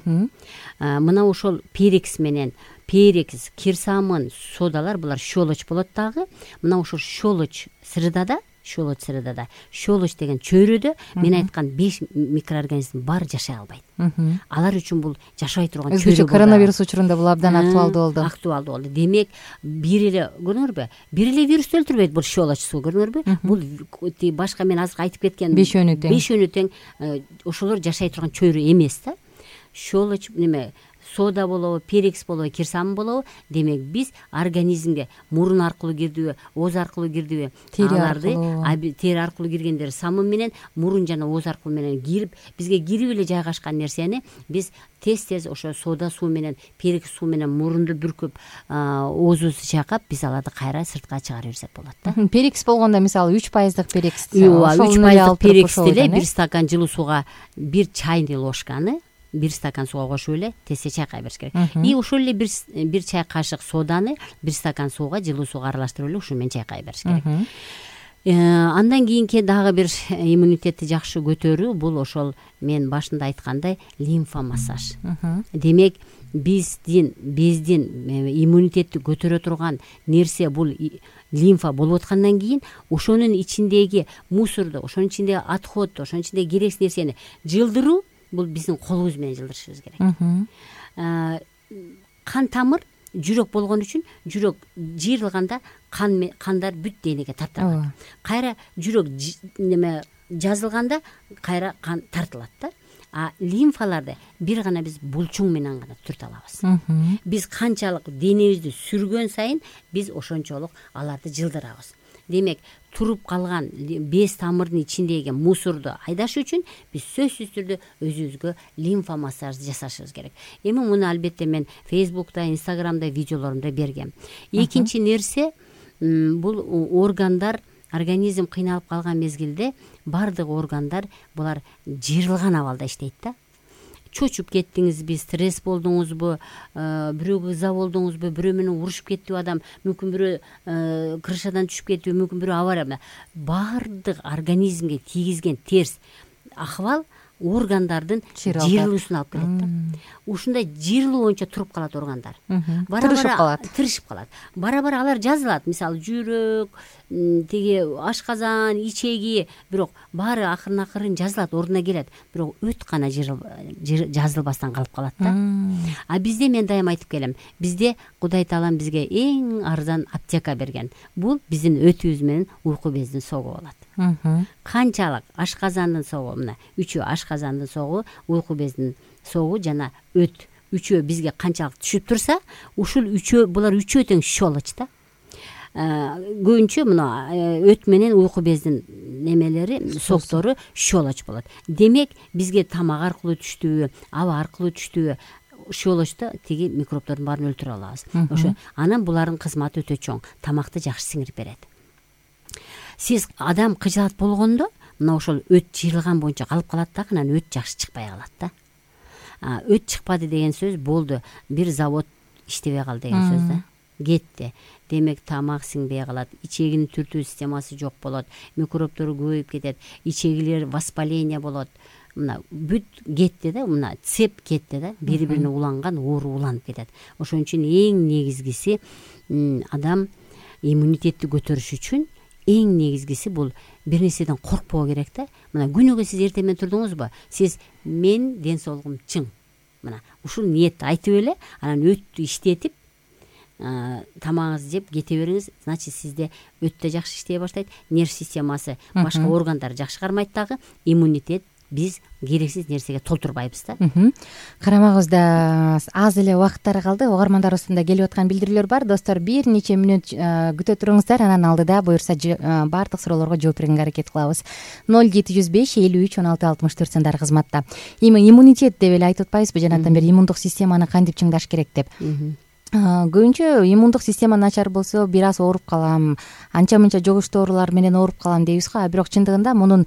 Мына ошол перекс менен, кир самын, содалар, булар щелочь болот дагы. Мына ошол щелочь средада щелочь средада. Щелочь деген чөйрөдө мен айткан 5 микроорганизм баары жашай албайт. Алар үчүн бул жашабай турган чөйрө. Өзгөчө коронавирус учурунда бул абдан актуалдуу болду. Актуалдуу болду. Демек, бир эле көрдүңөрбү? Бир эле вирус өлтүрбөйт бул щелочь суу, көрдүңөрбү? Бул башка мен азыр айтып кеткен 5 өнү тең ошолор жашай турган чөйрө эмес да. Щелочь неме сода болобу, перекс болобу, кирсамын болобу, демек биз организмге мурун аркылуу кирдиби, ооз аркылуу кирдиби, тери аркылуу киргендер самын менен мурун жана ооз аркылуу менен кирип, бизге кирип эле жайгашкан нерсени биз тез ошо сода суу менен, перекс суу менен мурунду бүркүп, оозубузду чайкап, биз аларды кайра сыртка чыгарып берсек болот да. Перекс болгондо мисалы 3% перекс. 3% перексти эле 1 стакан жылуу сууга 1 чайный ложканы 1 стакан сууга кошуп эле тезсе чайкай бериш керек. И ошол эле 1 чай кашык соданы 1 стакан сууга, жылуу сууга аралаштырып эле ушу менен чайкай бериш керек. Андан кийинки дагы бир иммунитетти жакшы көтөрүү бул ошол мен башында айткандай лимфа массаж. Демек, бездин иммунитетти көтөрө турган нерсе бул лимфа болуп аткандан кийин ошонун ичиндеги мусорду, ошонун ичиндеги отходду, ошонун ичиндеги керексиз нерсени жылдыруу бул биздин колубуз менен жылдырышыбыз керек. Кан тамыр жүрөк болгон үчүн жүрөк жыйрылганда кандар бүт денеге тартылат. Кайра жүрөк жазылганда кайра кан тартылат да. А лимфаларды бир гана биз булчуң менен гана түртө алабыз. Биз канчалык денебизди сүргөн сайын биз ошончолук аларды жылдырабыз. Демек, туруп калган без тамырдын ичиндеги мусорду айдаш үчүн биз сөзсүз түрдө өзүбүзгө лимфа массажды жасашыбыз керек. Эми муну албетте мен Facebook'та, Instagram'да видеолорумда бергем. Экинчи нерсе бул органдар, организм кыйналып калган мезгилде бардык органдар булар жыйрылган абалда иштейт да. Чочуп кеттиңизби, стресс болдуңузбу, бирөөгө ыза болдуңузбу, бирөө менен урушуп кеттиби адам, мүмкүн бирөө крышадан түшүп кеттиби, мүмкүн бирөө авария. Бардык организмге тийгизген терс акыбал органдардын жыйрылуусуна алып келет да. Ушундай жыйрылуу боюнча туруп калат органдар. Тырышып калат. Бара-бара алар жазылат. Мисалы жүрөк, тиги ашказан, ичеги, бирок баары акырын жазылат, ордуна келет. Бирок өт гана жазылбастан калып калат да. А бизде мен дайым айтып келем, бизде Кудай Таалам бизге эң арзан аптека берген. Бул биздин өтүбүз менен уйку бездин согуу болот. Канчалык ашказандын согуу, мына 3 ашказандын согуу, уйку бездин согуу жана өт үчөө бизге канчалык түшүп турса, ушул булар үчөө тең щелочь да. Көбүнчө мына өт менен уйку бездин немелери, соктору щелочь болот. Демек, бизге тамак аркылуу түштүбү, аба аркылуу түштүбү, щелочьто тиги микробдордун баарын өлтүрө алабыз. Ошо анан булардын кызматы өтө чоң. Тамакты жакшы сиңирип берет. Сиз адам кыжаат болгондо, мына ошол өт жыйрылган боюнча калып калат да, анан өт жакшы чыкпай калат да. Өт чыкпады деген сөз болду, бир завод иштебей калды деген сөз да. Кетти. Демек, тамак сиңбей калат, ичегинин түртүү системасы жок болот, микробдор көбөйүп кетет, ичегилер воспаление болот. Мына бүт кетти да, мына цеп кетти да, бири-бирине уланган оору уланып кетет. Ошон үчүн эң негизгиси адам иммунитетти көтөрүш үчүн эң негизгиси бул бир нерседен коркпоо керек да. Мына күнүгө сиз эртең менен турдуңузбу? Сиз мен ден соолугум чың. Мына ушул ниетти айтып эле, анан өттү иштетип, тамагыңызды жеп кете бериңиз. Значит, сизде өт да жакшы иштей баштайт, нерв системасы, башка органдар жакшы кармайт дагы, иммунитет биз керексиз нерсеге толтурбайбыз да. Карамагыбызда аз эле убакыттары калды. Угармандарыбыздан келип аткан билдирүүлөр бар. Достор, бир нече мүнөт күтө туруңуздар. Анан алдыда буюрса баардык суроолорго жооп бергенге аракет кылабыз. 0705 53 16 64 сандары кызматта. Эми иммунитет деп эле айтып атпайбызбы? Жанатан бери иммундук системаны кантип чыңдаш керек деп. Көбүнчө иммундук система начар болсо, бир аз ооруп калам, анча-мынча жугуштуу оорулар менен ооруп калам дейбиз го. Бирок чындыгында мунун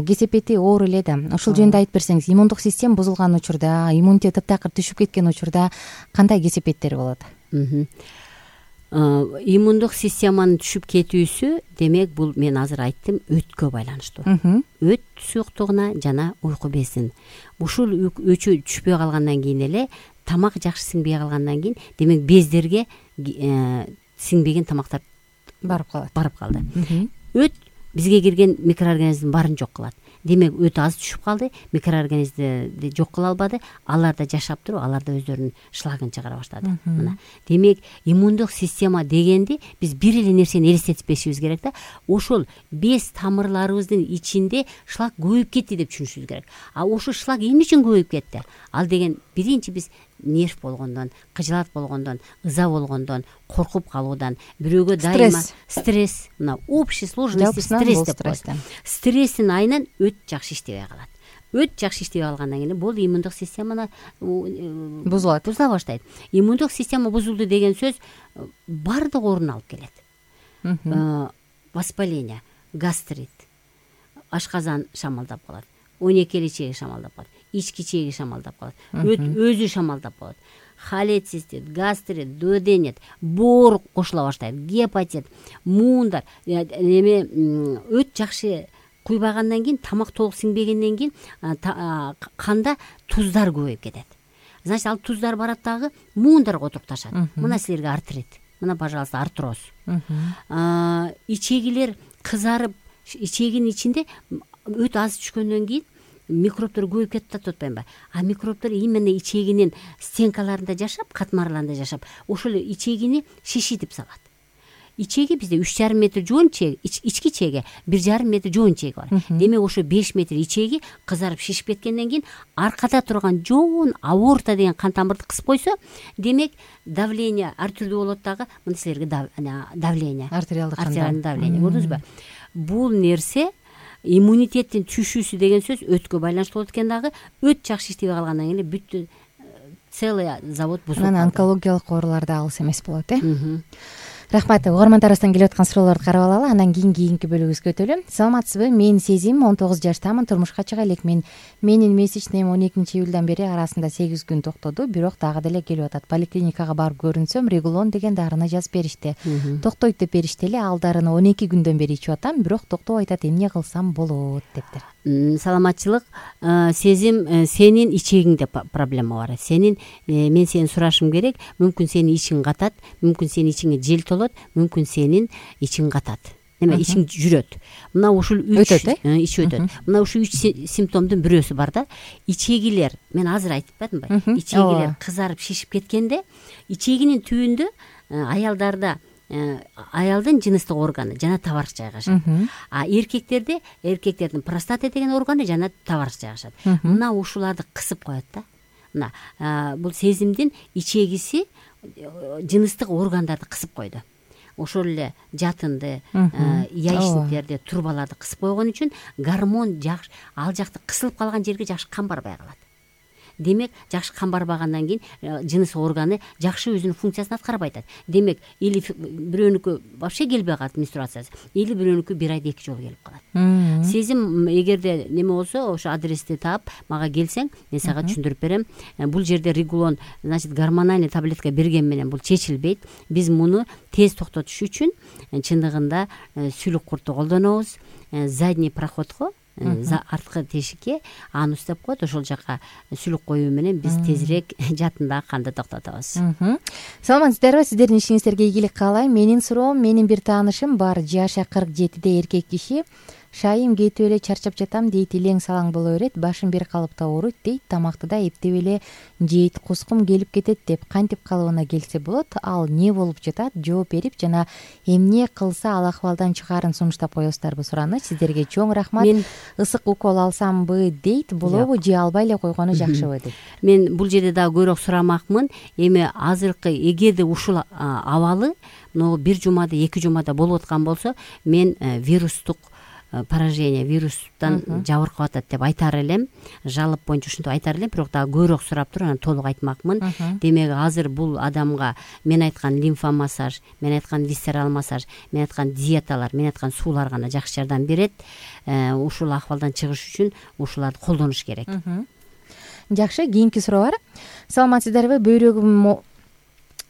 кесепети оор эле да. Ошол жөнүндө айтып берсеңиз, иммундук система бузулган учурда, иммунитет таптакыр түшүп кеткен учурда кандай кесепеттер болот? Иммундук системанын түшүп кетүүсү, демек, бул мен азыр айттым, өткө байланыштуу. Өт суюктугуна жана уйку безин. Ушул өчө түшпөй калгандан кийин эле тамак жакшы сиңбей калгандан кийин, демек, бездерге сиңбеген тамактар барып калды. Өт бизге кирген микроорганизмдин баарын жок кылат. Демек өтө аз түшүп калды, микроорганизмди жок кыла албады, алар да жашап туруп, алар да өздөрүнүн шлагын чыгара баштады. Мына демек иммундук система дегенди биз бир эле нерсени элестетпешибиз керек да. Ошол без тамырларыбыздын ичинде шлак көбөйүп кетти деп түшүнүшүбүз керек. А ошол шлак эмне үчүн көбөйүп кетти? Ал деген биринчи биз нерв болгондон, кыжылат болгондон, ыза болгондон, коркуп калуудан, бирөөгө дайыма стресс, мына общий сложности стресс деп коет. Стресстин айынан өт жакшы иштебей калат. Өт жакшы иштебей калгандан кийин бул иммундук системаны бузула баштайт. Иммундук система бузулду деген сөз бардык оорууну алып келет. Воспаление, гастрит, ашказан шамалдап калат, 12 чеги шамалдап калат, ички чеги шамалдап калат, өзү шамалдап калат. Холецистит, гастрит, дуоденит, боор кошула баштайт, гепатит, муундар, өт жакшы куйбагандан кийин, тамак толук сиңбегенден кийин канда туздар көбөйүп кетет. Значит, ал туздар барат дагы муундарга отурукташат. Мына силерге артрит, мына пожалуйста артроз. Ичегилер кызарып, ичегинин ичинде өт аз түшкөндөн кийин микробтор көбөйүп кетип атат атпайбы? А микробтор именно ичегинин стенкаларында жашап, катмарларында жашап, ошол ичегини шишитип салат. Ичеги бизде 3,5 метр жоон чеги, ички чеги 1,5 метр жоон чеги бар. Демек ошо 5 метр ичеги кызарып шишип кеткенден кийин аркада турган жоон аорта деген кан тамырды кысып койсо, демек давление ар түрдүү болот дагы. Мына силерге давление, артериалдык давление көрдүңүзбү? Бул нерсе иммунитеттин түшүүсү деген сөз өткө байланыштуу болот экен дагы. Өт жакшы иштебей калгандан кийин бүт целый завод бузулуп калат. Анан онкологиялык оорулар да алыс эмес болот, Рахмат. Угармандарыбыздан келип аткан суроолорду карап алалы, анан кийинки бөлүгүбүзгө өтөлү. Саламатсызбы? Мен Сезим, 19 жаштамын, турмушка чыга элекмин. Менин месячныйым 12-июлдан бери арасында 8 күн токтоду, бирок дагы деле келип атат. Поликлиникага барып көрүнсөм, Регулон деген дарыны жазып беришти. Токтойт деп беришти эле, ал дарыны 12 күндөн бери ичип атам, бирок токтоп айтат, эмне кылсам болот дептир. Саламатчылык. Сезим, сенин ичегиңде проблема бар. Мен сени сурашым керек. Мүмкүн сенин ичиң катат, мүмкүн сенин ичиңе жел толот, мүмкүн сенин ичиң катат. Эме ичиң жүрөт. Мына ушул 3 ич өтөт. Мына ушул 3 симптомдун бирөөсү бар да. Ичегилер, мен азыр айтып атпадымбы? Ичегилер кызарып шишип кеткенде, ичегинин түбүндө аялдарда аялдын жыныстык органы жана табарык жайгашат. А эркектердин простата деген органы жана табарык жайгашат. Мына ушуларды кысып коет да. Мына бул сезимдин ичегиси жыныстык органдарды кысып койду. Ошол эле жатынды, яичниктерди, турбаларды кысып койгон үчүн гормон жакшы, ал жакта кысылып калган жерге жакшы кан барбай калат. Демек, жакшы кан барбагандан кийин жыныс органы жакшы өзүнүн функциясын аткарбай атат. Демек, или бирөөнүкү вообще келбей калат менструациясы, или бирөөнүкү 1 айда 2 жолу келип калат. Сезим, эгерде неме болсо, ошо адрести таап, мага келсең, мен сага түшүндүрүп берем. Бул жерде Регулон, значит, гормональный таблетка берген менен бул чечилбейт. Биз муну тез токтотуш үчүн чындыгында сүлүк курту колдонобуз. Задний проходко, арткы тешикке анус деп коет, ошол жака сүлүк коюу менен биз тезирээк жатындагы канды токтотобуз. Саламатсыздарбы? Сиздердин ишиңиздерге ийгилик каалайм. Менин суроом, менин бир таанышым бар, жашы 47-де эркек киши. Шайым кетип эле чарчап жатам дейт, илең салаң боло берет, башым бир калыпта ооруйт дейт, тамакты да эптеп эле жейт, кускум келип кетет деп. Кантип калыбына келсе болот? Ал не болуп жатат? Жооп берип жана эмне кылса ал акыбалдан чыгаарын сунуштап коесуздарбы сураныч. Сиздерге чоң рахмат. Ысык укол алсамбы дейт, болобу же албай эле койгону жакшыбы дейт. Мен бул жерде дагы көбүрөөк сурамакмын. Эми азыркы эгерде ушул абалы могу 1 жумада, 2 жумада болуп аткан болсо, мен вирустук поражение, вирустан жабыркап атат деп айтар элем. Жалоп боюнча ушинтип айтар элем, бирок дагы көбүрөөк сурап туруп анан толук айтмакмын. Демек, азыр бул адамга мен айткан лимфомассаж, мен айткан висцерал массаж, мен айткан диеталар, мен айткан суулар гана жакшы жардам берет. Ушул акыбалдан чыгыш үчүн ушуларды колдонуш керек. Жакшы, кийинки суроо бар. Саламатсыздарбы?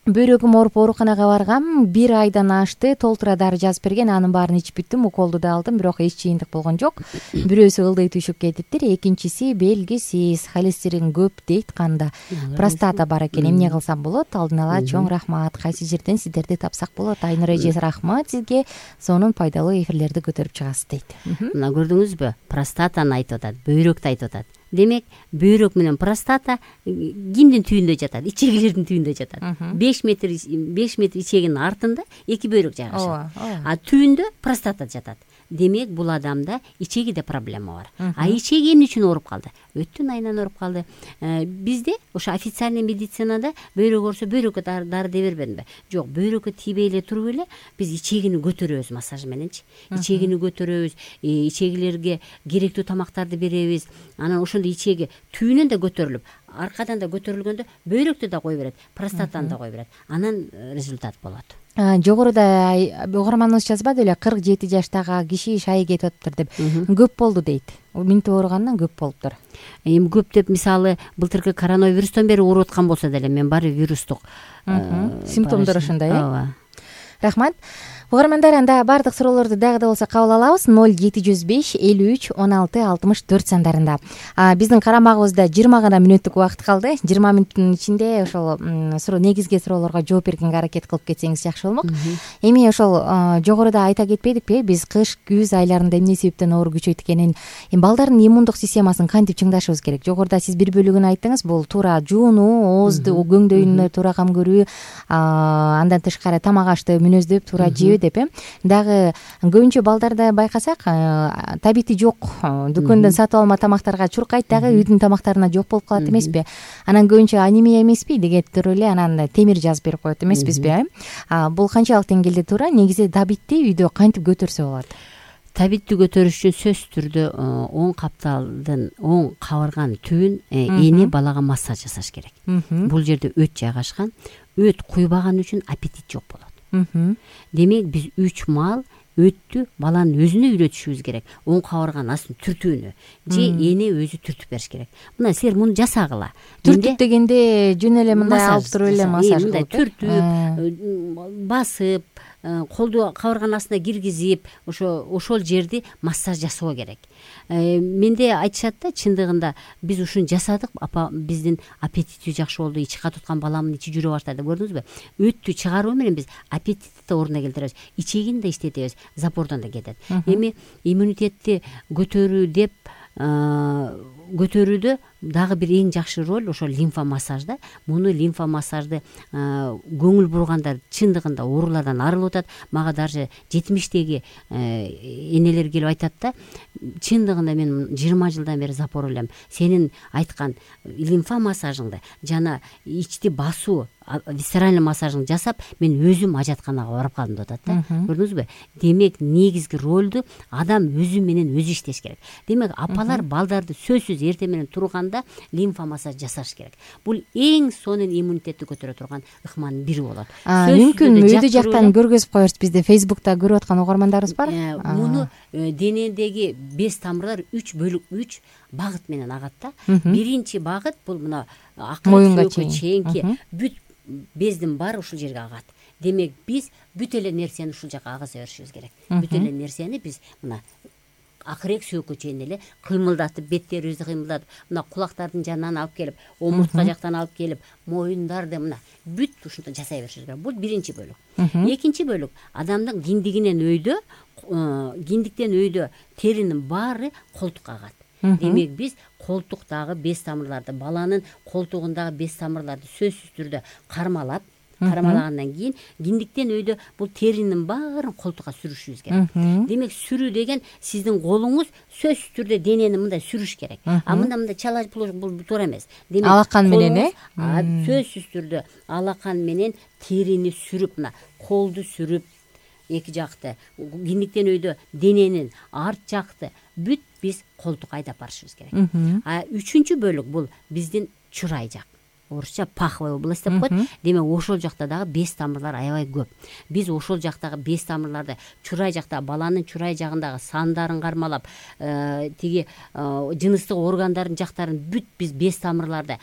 бөйрөгүм ооруп ооруканага баргам, 1 айдан ашты, толтура дары жазып берген, анын баарын ичип бүттүм, уколду да алдым, бирок эч чыйындык болгон жок. Бирөөсү ылдый түшүп кетиптир, экинчиси белгисиз, холестерин көп дейт канда, простата бар экен, эмне кылсам болот? Алдын ала чоң рахмат, кайсы жерден сиздерди тапсак болот? Айнур эже, рахмат сизге, сонун пайдалуу эфирлерди көтөрүп чыгасыз дейт. Мына көрдүңүзбү, простатаны айтып атат, бөйрөктү айтып атат. Демек бөйрөк менен простата кимдин түйүндө жатат? Ичегилердин түйүндө жатат. 5 метр ичегинин артында 2 бөйрөк жайгашат. А түйүндө простата жатат. Демек бул адамда ичегиде проблема бар. А ичеги эмне үчүн ооруп калды? Өттүн айынан ооруп калды. Бизде ошо официальный медицинада бөйрөк оорусо бөйрөккө дары дей бербедимби? Жок, бөйрөккө тийбей эле туруп эле биз ичегини көтөрөбүз массаж мененчи. Ичегини көтөрөбүз, ичегилерге керектүү тамактарды беребиз. Анан ошондо ичеги түйүнөн да көтөрүлүп, аркадан да көтөрүлгөндө бөйрөктү да кое берет, простатаны да кое берет. Анан результат болот. Жогоруда угарманыбыз жазбады эле, 47 жаштагы киши шайы кетип атыптыр деп. Көп болду дейт. Минтип ооругандан көп болуптур. Эми көп деп, мисалы, былтыркы коронавирустан бери ооруп аткан болсо деле, мен баары вирустук симптомдор ошондой, э? Рахмат. Угармандар, анда баардык суроолорду дагы да болсо кабыл алабыз. 0705 53 16 64 сандарында. Биздин карамагыбызда 20 гана мүнөттүк убакыт калды. 20 мүнөттүн ичинде ошол негизги суроолорго жооп бергенге аракет кылып кетсеңиз жакшы болмок. Эми ошол жогоруда айта кетпедикпи? Биз кыш, күз айларында эмне себептен оору күчөйт экенин, балдардын иммундук системасын кантип чыңдашыбыз керек? Жогоруда сиз бир бөлүгүн айттыңыз. Бул туура жуунуу, оозду, көңдөйүнө туура кам көрүү, андан тышкары тамак ашты мүнөздөп туура жөө деп, дагы көбүнчө балдарда байкасак, табити жок, дүкөндөн сатып алма тамактарга чуркайт, дагы үйдүн тамактарына жок болуп калат эмеспи? Анан көбүнчө анемия эмеспи деген туруп эле анан темир жазып берип коет эмеспизби? Бул канчалык деңгээлде туура? Негизи табитти үйдө кантип көтөрсө болот? Табитти көтөрүш үчүн сөзсүз түрдө оң капталдын оң кабырганын түбүн эне балага массаж жасаш керек. Бул жерде өт жайгашкан. Өт куйбаган үчүн аппетит жок болот. Демек биз 3 маал өттү баланын өзүнө үйрөтүшүбүз керек. Оң кабырганын астын түртүүнү же эне өзү түртүп бериш керек. Мына силер муну жасагыла. Түртүп дегенде жөн эле мындай алып туруп эле массаж кылып, түртүп, басып, колду кабырганын астына киргизип, ошол жерди массаж жасоо керек. Менде айтышат да, чындыгында биз ушуну жасадык, апа биздин аппетити жакшы болду, ичи катыткан баламдын ичи жүрө баштады. Көрдүңүзбү? Өттү чыгаруу менен биз аппетитти да ордуна келтиребиз, ичегини да иштетебиз, запордон да кетет. Эми иммунитетти көтөрүү деп көтөрүүдө дагы бир эң жакшы роль ошол лимфа массажда. Муну лимфа массажды көңүл бургандар чындыгында оорулардан арылып атат. Мага даже 70-теги энелер келип айтат да, чындыгында мен 20 жылдан бери запор элем. Сенин айткан лимфа массажыңды жана ичти басуу, висцеральный массажыңды жасап, мен өзүм ажатканага барып калдым деп атат да. Көрдүңүзбү? Демек негизги ролду адам өзү менен өзү иштеш керек. Демек апалар балдарды сөзсүз эртең менен турганда лимфа массаж жасаш керек. Бул эң сонун иммунитетти көтөрө турган ыкманын бири болот. Мүмкүн өйдө жактан көргөзүп коерсиз, бизде Facebook'та көрүп аткан угармандарыбыз бар. Муну денедеги 5 тамырлар 3 багыт менен агат да. Биринчи багыт бул мына акыркы чейинки бүт бездин баары ушул жерге агат. Демек биз бүт эле нерсени ушул жака агыза беришибиз керек. Бүт эле нерсени биз мына акырек сөөккө чейин эле кыймылдатып, беттерибизди кыймылдатып, мына кулактардын жанынан алып келип, омуртка жактан алып келип, моюндарды мына бүт ушунтип жасай беришибиз керек. Бул биринчи бөлүк. Экинчи бөлүк адамдын киндигинен киндиктен өйдө теринин баары колтукка агат. Демек биз колтуктагы без тамырларды, баланын колтугундагы без тамырларды сөзсүз түрдө кармалагандан кийин киндиктен өйдө бул теринин баарын колтукка сүрүшүбүз керек. Демек сүрүү деген сиздин колуңуз сөзсүз түрдө денени мындай сүрүш керек. Мындай чала бул туура эмес. Демек алакан менен сөзсүз түрдө алакан менен терини сүрүп, мына колду сүрүп, эки жакты киндиктен өйдө дененин арт жакты бүт биз колтук айдап барышыбыз керек. Үчүнчү бөлүк бул биздин чурай жак. орусча паховая область деп коет. Демек ошол жакта дагы без тамырлар аябай көп. Биз ошол жактагы без тамырларды чурай жакта баланын чурай жагындагы сандарын кармалап, тиги жыныстык органдардын жактарын бүт биз без тамырларды,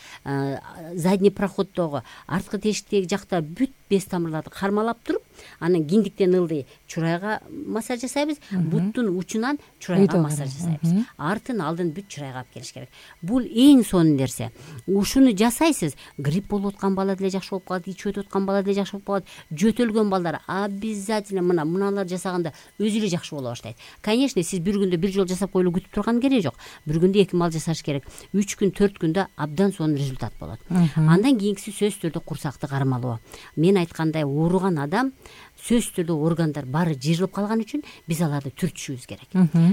задний проходдогу, арткы тешиктеги жакта бүт без тамырларды кармалап туруп, анан киндиктен ылдый чурайга массаж жасайбыз, буттун учунан чурайга массаж жасайбыз. Артын алдын бүт чурайга алып келиш керек. Бул эң сонун нерсе. Ушуну жасайсыз, грипп болуп аткан бала деле жакшы болуп калат, ичип өтүп аткан бала деле жакшы болуп калат, жөтөлгөн балдар обязательно муналар жасаганда өзү эле жакшы боло баштайт. Конечно, сиз бир күндө бир жолу жасап коюлуп күтүп турган кереги жок. Бир күндө 2 мал жасаш керек. 3 күн, 4 күндө абдан сонун результат болот. Андан кийинкиси сөзсүз түрдө курсакты кармалоо. Мен айткандай, ооруган адам сөзсүз түрдө органдар баары жыйрылып калган үчүн биз аларды түртүшүбүз керек.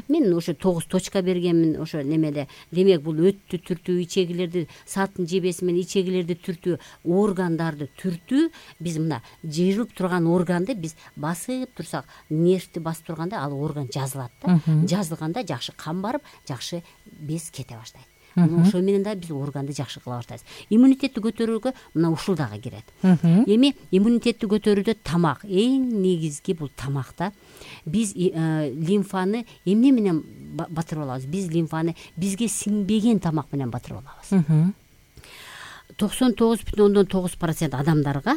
Мен ошо 9 точка бергенмин ошо немеде. Демек бул өттү түртүү, ичегилерди, сааттын жебеси менен ичегилерди түртүү, органдарды түртүү. Биз мына жыйрылып турган органды биз басып турсак, нервти басып турганда ал орган жазылат да. Жазылганда жакшы кан барып, жакшы без кете баштайт. Ошо менен да биз органды жакшы кыла баштайбыз. Иммунитетти көтөрүүгө мына ушул дагы кирет. Эми иммунитетти көтөрүүдө тамак эң негизги бул тамакта. Биз лимфаны эмне менен батырып алабыз? Биз лимфаны бизге сиңбеген тамак менен батырып алабыз. 99,9% адамдарга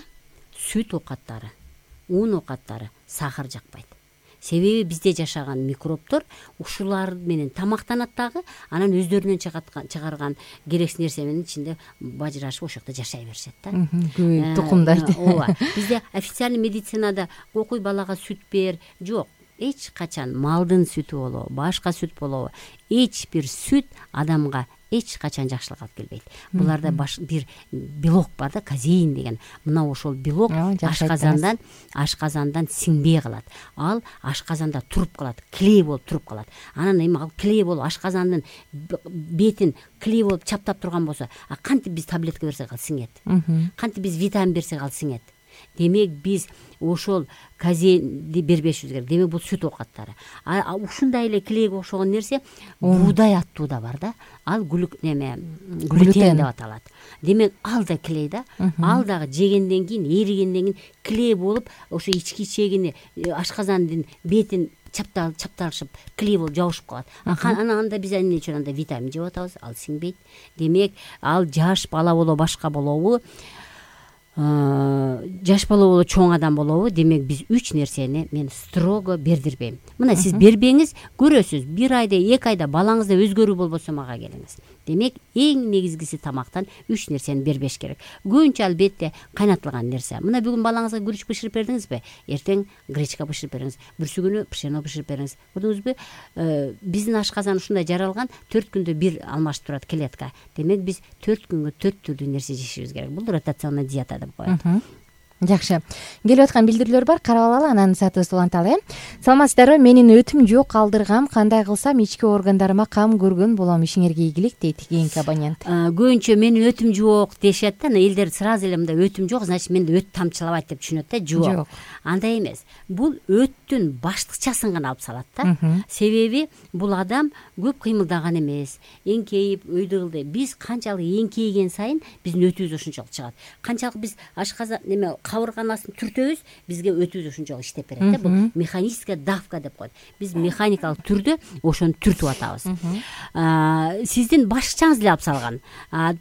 сүт оокаттары, ун оокаттары, сахар жакпайт. Себеби бизде жашаган микробтор ушулар менен тамактанат дагы, анан өздөрүнөн чыгарган керексиз нерсе менен ичинде бажырашып ошол жакта жашай беришет да. Тукумдайт. Ооба. Бизде официальный медицинада кокуй балага сүт бер, жок. Эч качан малдын сүтү болобу, башка сүт болобу, эч бир сүт адамга эч качан жакшылык алып келбейт. Буларда бир белок бар да, казеин деген. Мына ошол белок ашказандан сиңбей калат. Ал ашказанда туруп калат, клей болуп туруп калат. Анан эми ал клей болуп ашказандын бетин клей болуп чаптап турган болсо, кантип биз таблетка берсек ал сиңет? Кантип биз витамин берсек ал сиңет? Демек биз ошол казеинди бербешибиз керек. Демек бул сүт оокаттары. Ушундай эле клейге окшогон нерсе буудай аттуу да бар да. Ал глютен деп аталат. Демек ал да клей да. Ал дагы жегенден кийин, эригенден кийин клей болуп, ошо ички ичегини, ашказандын бетин чапталышып, клей болуп жабышып калат. Анда биз эмне үчүн анда витамин жеп атабыз? Ал сиңбейт. Демек ал жаш бала болобу, башка болобу, жаш бала болобу, чоң адам болобу, демек биз 3 нерсени мен строго бердирбейм. Мына сиз бербеңиз, көрөсүз, 1 айда, 2 айда балаңызда өзгөрүү болбосо мага келиңиз. Демек эң негизгиси тамактан 3 нерсени бербеш керек. Көбүнчө албетте кайнатылган нерсе. Мына бүгүн балаңызга күрүч бышырып бердиңизби? Эртең гречка бышырып бериңиз. Бүрсү пшено бышырып бериңиз. Көрдүңүзбү? Биздин ашказан ушундай жаралган, 4 күндө бир алмашып турат клетка. Демек биз 4 күнгө 4 түрдүү нерсе жешибиз керек. Бул ротационный диета деп коет. Жакшы. Келип аткан билдирүүлөр бар, карап алалы, анан саатыбызды уланталы. Саламатсыздарбы? Менин өтүм жок, калдыргам. Кандай кылсам ички органдарыма кам көргөн болом? Ишиңерге ийгилик дейт кийинки абонент. Көбүнчө менин өтүм жок дешет да. Элдер сразу эле мындай өтүм жок, значит менде өт тамчылабайт деп түшүнөт да. Жок. Андай эмес. Бул өттүн баштыкчасын гана алып салат да. Себеби бул адам көп кыймылдаган эмес, эңкейип, өйдөгүлдө. Биз канчалык эңкейген сайын биздин өтүбүз ошончолук чыгат. Канчалык биз ашказан кабырганасын түртөбүз, бизге өтүбүз ошончолук иштеп берет да. Бул механическая давка деп коет. Биз механикалык түрдө ошону түртүп атабыз. Сиздин башыкчаңыз эле алып салган.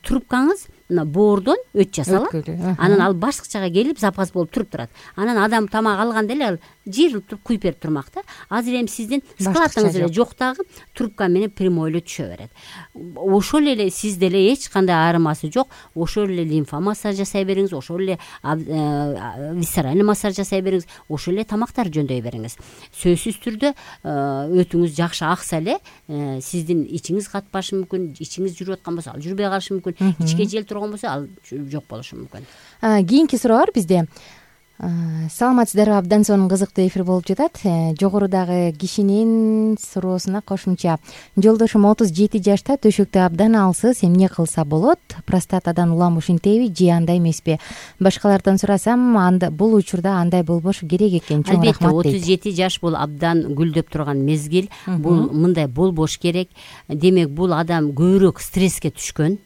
Трубкаңыз мына боордон өт жасалат. Анан ал баштыкчага келип запас болуп туруп турат. Анан адам тамак алганда эле ал жыйрылып туруп куюп берип турмак да. Азыр эми сиздин складыңыз эле жок дагы трубка менен прямой эле түшө берет. Ошол эле сизде эле эч кандай аарымасы жок. Ошол эле лимфа массаж жасай бериңиз, ошол эле висцеральный массаж жасай бериңиз, ошол эле тамактарды жөндөй бериңиз. Сөзсүз түрдө өтүңүз жакшы акса эле сиздин ичиңиз катпашы мүмкүн, ичиңиз жүрүп аткан болсо ал жүрбөй калышы мүмкүн, ичке жел турган болсо ал жок болушу мүмкүн. Кийинки суроо бар бизде. Саламатсыздарбы, абдан сонун кызыктуу эфир болуп жатат. Жогорудагы кишинин суроосуна кошумча, жолдошум 37 жашта, төшөктө абдан алсыз, эмне кылса болот? Простатадан улам ушинтеби же андай эмеспи? Башкалардан сурасам, бул учурда андай болбошу керек экен. Чоң рахмат дейт. 37 жаш бул абдан гүлдөп турган мезгил. Бул мындай болбош керек. Демек бул адам көбүрөөк стресске түшкөн.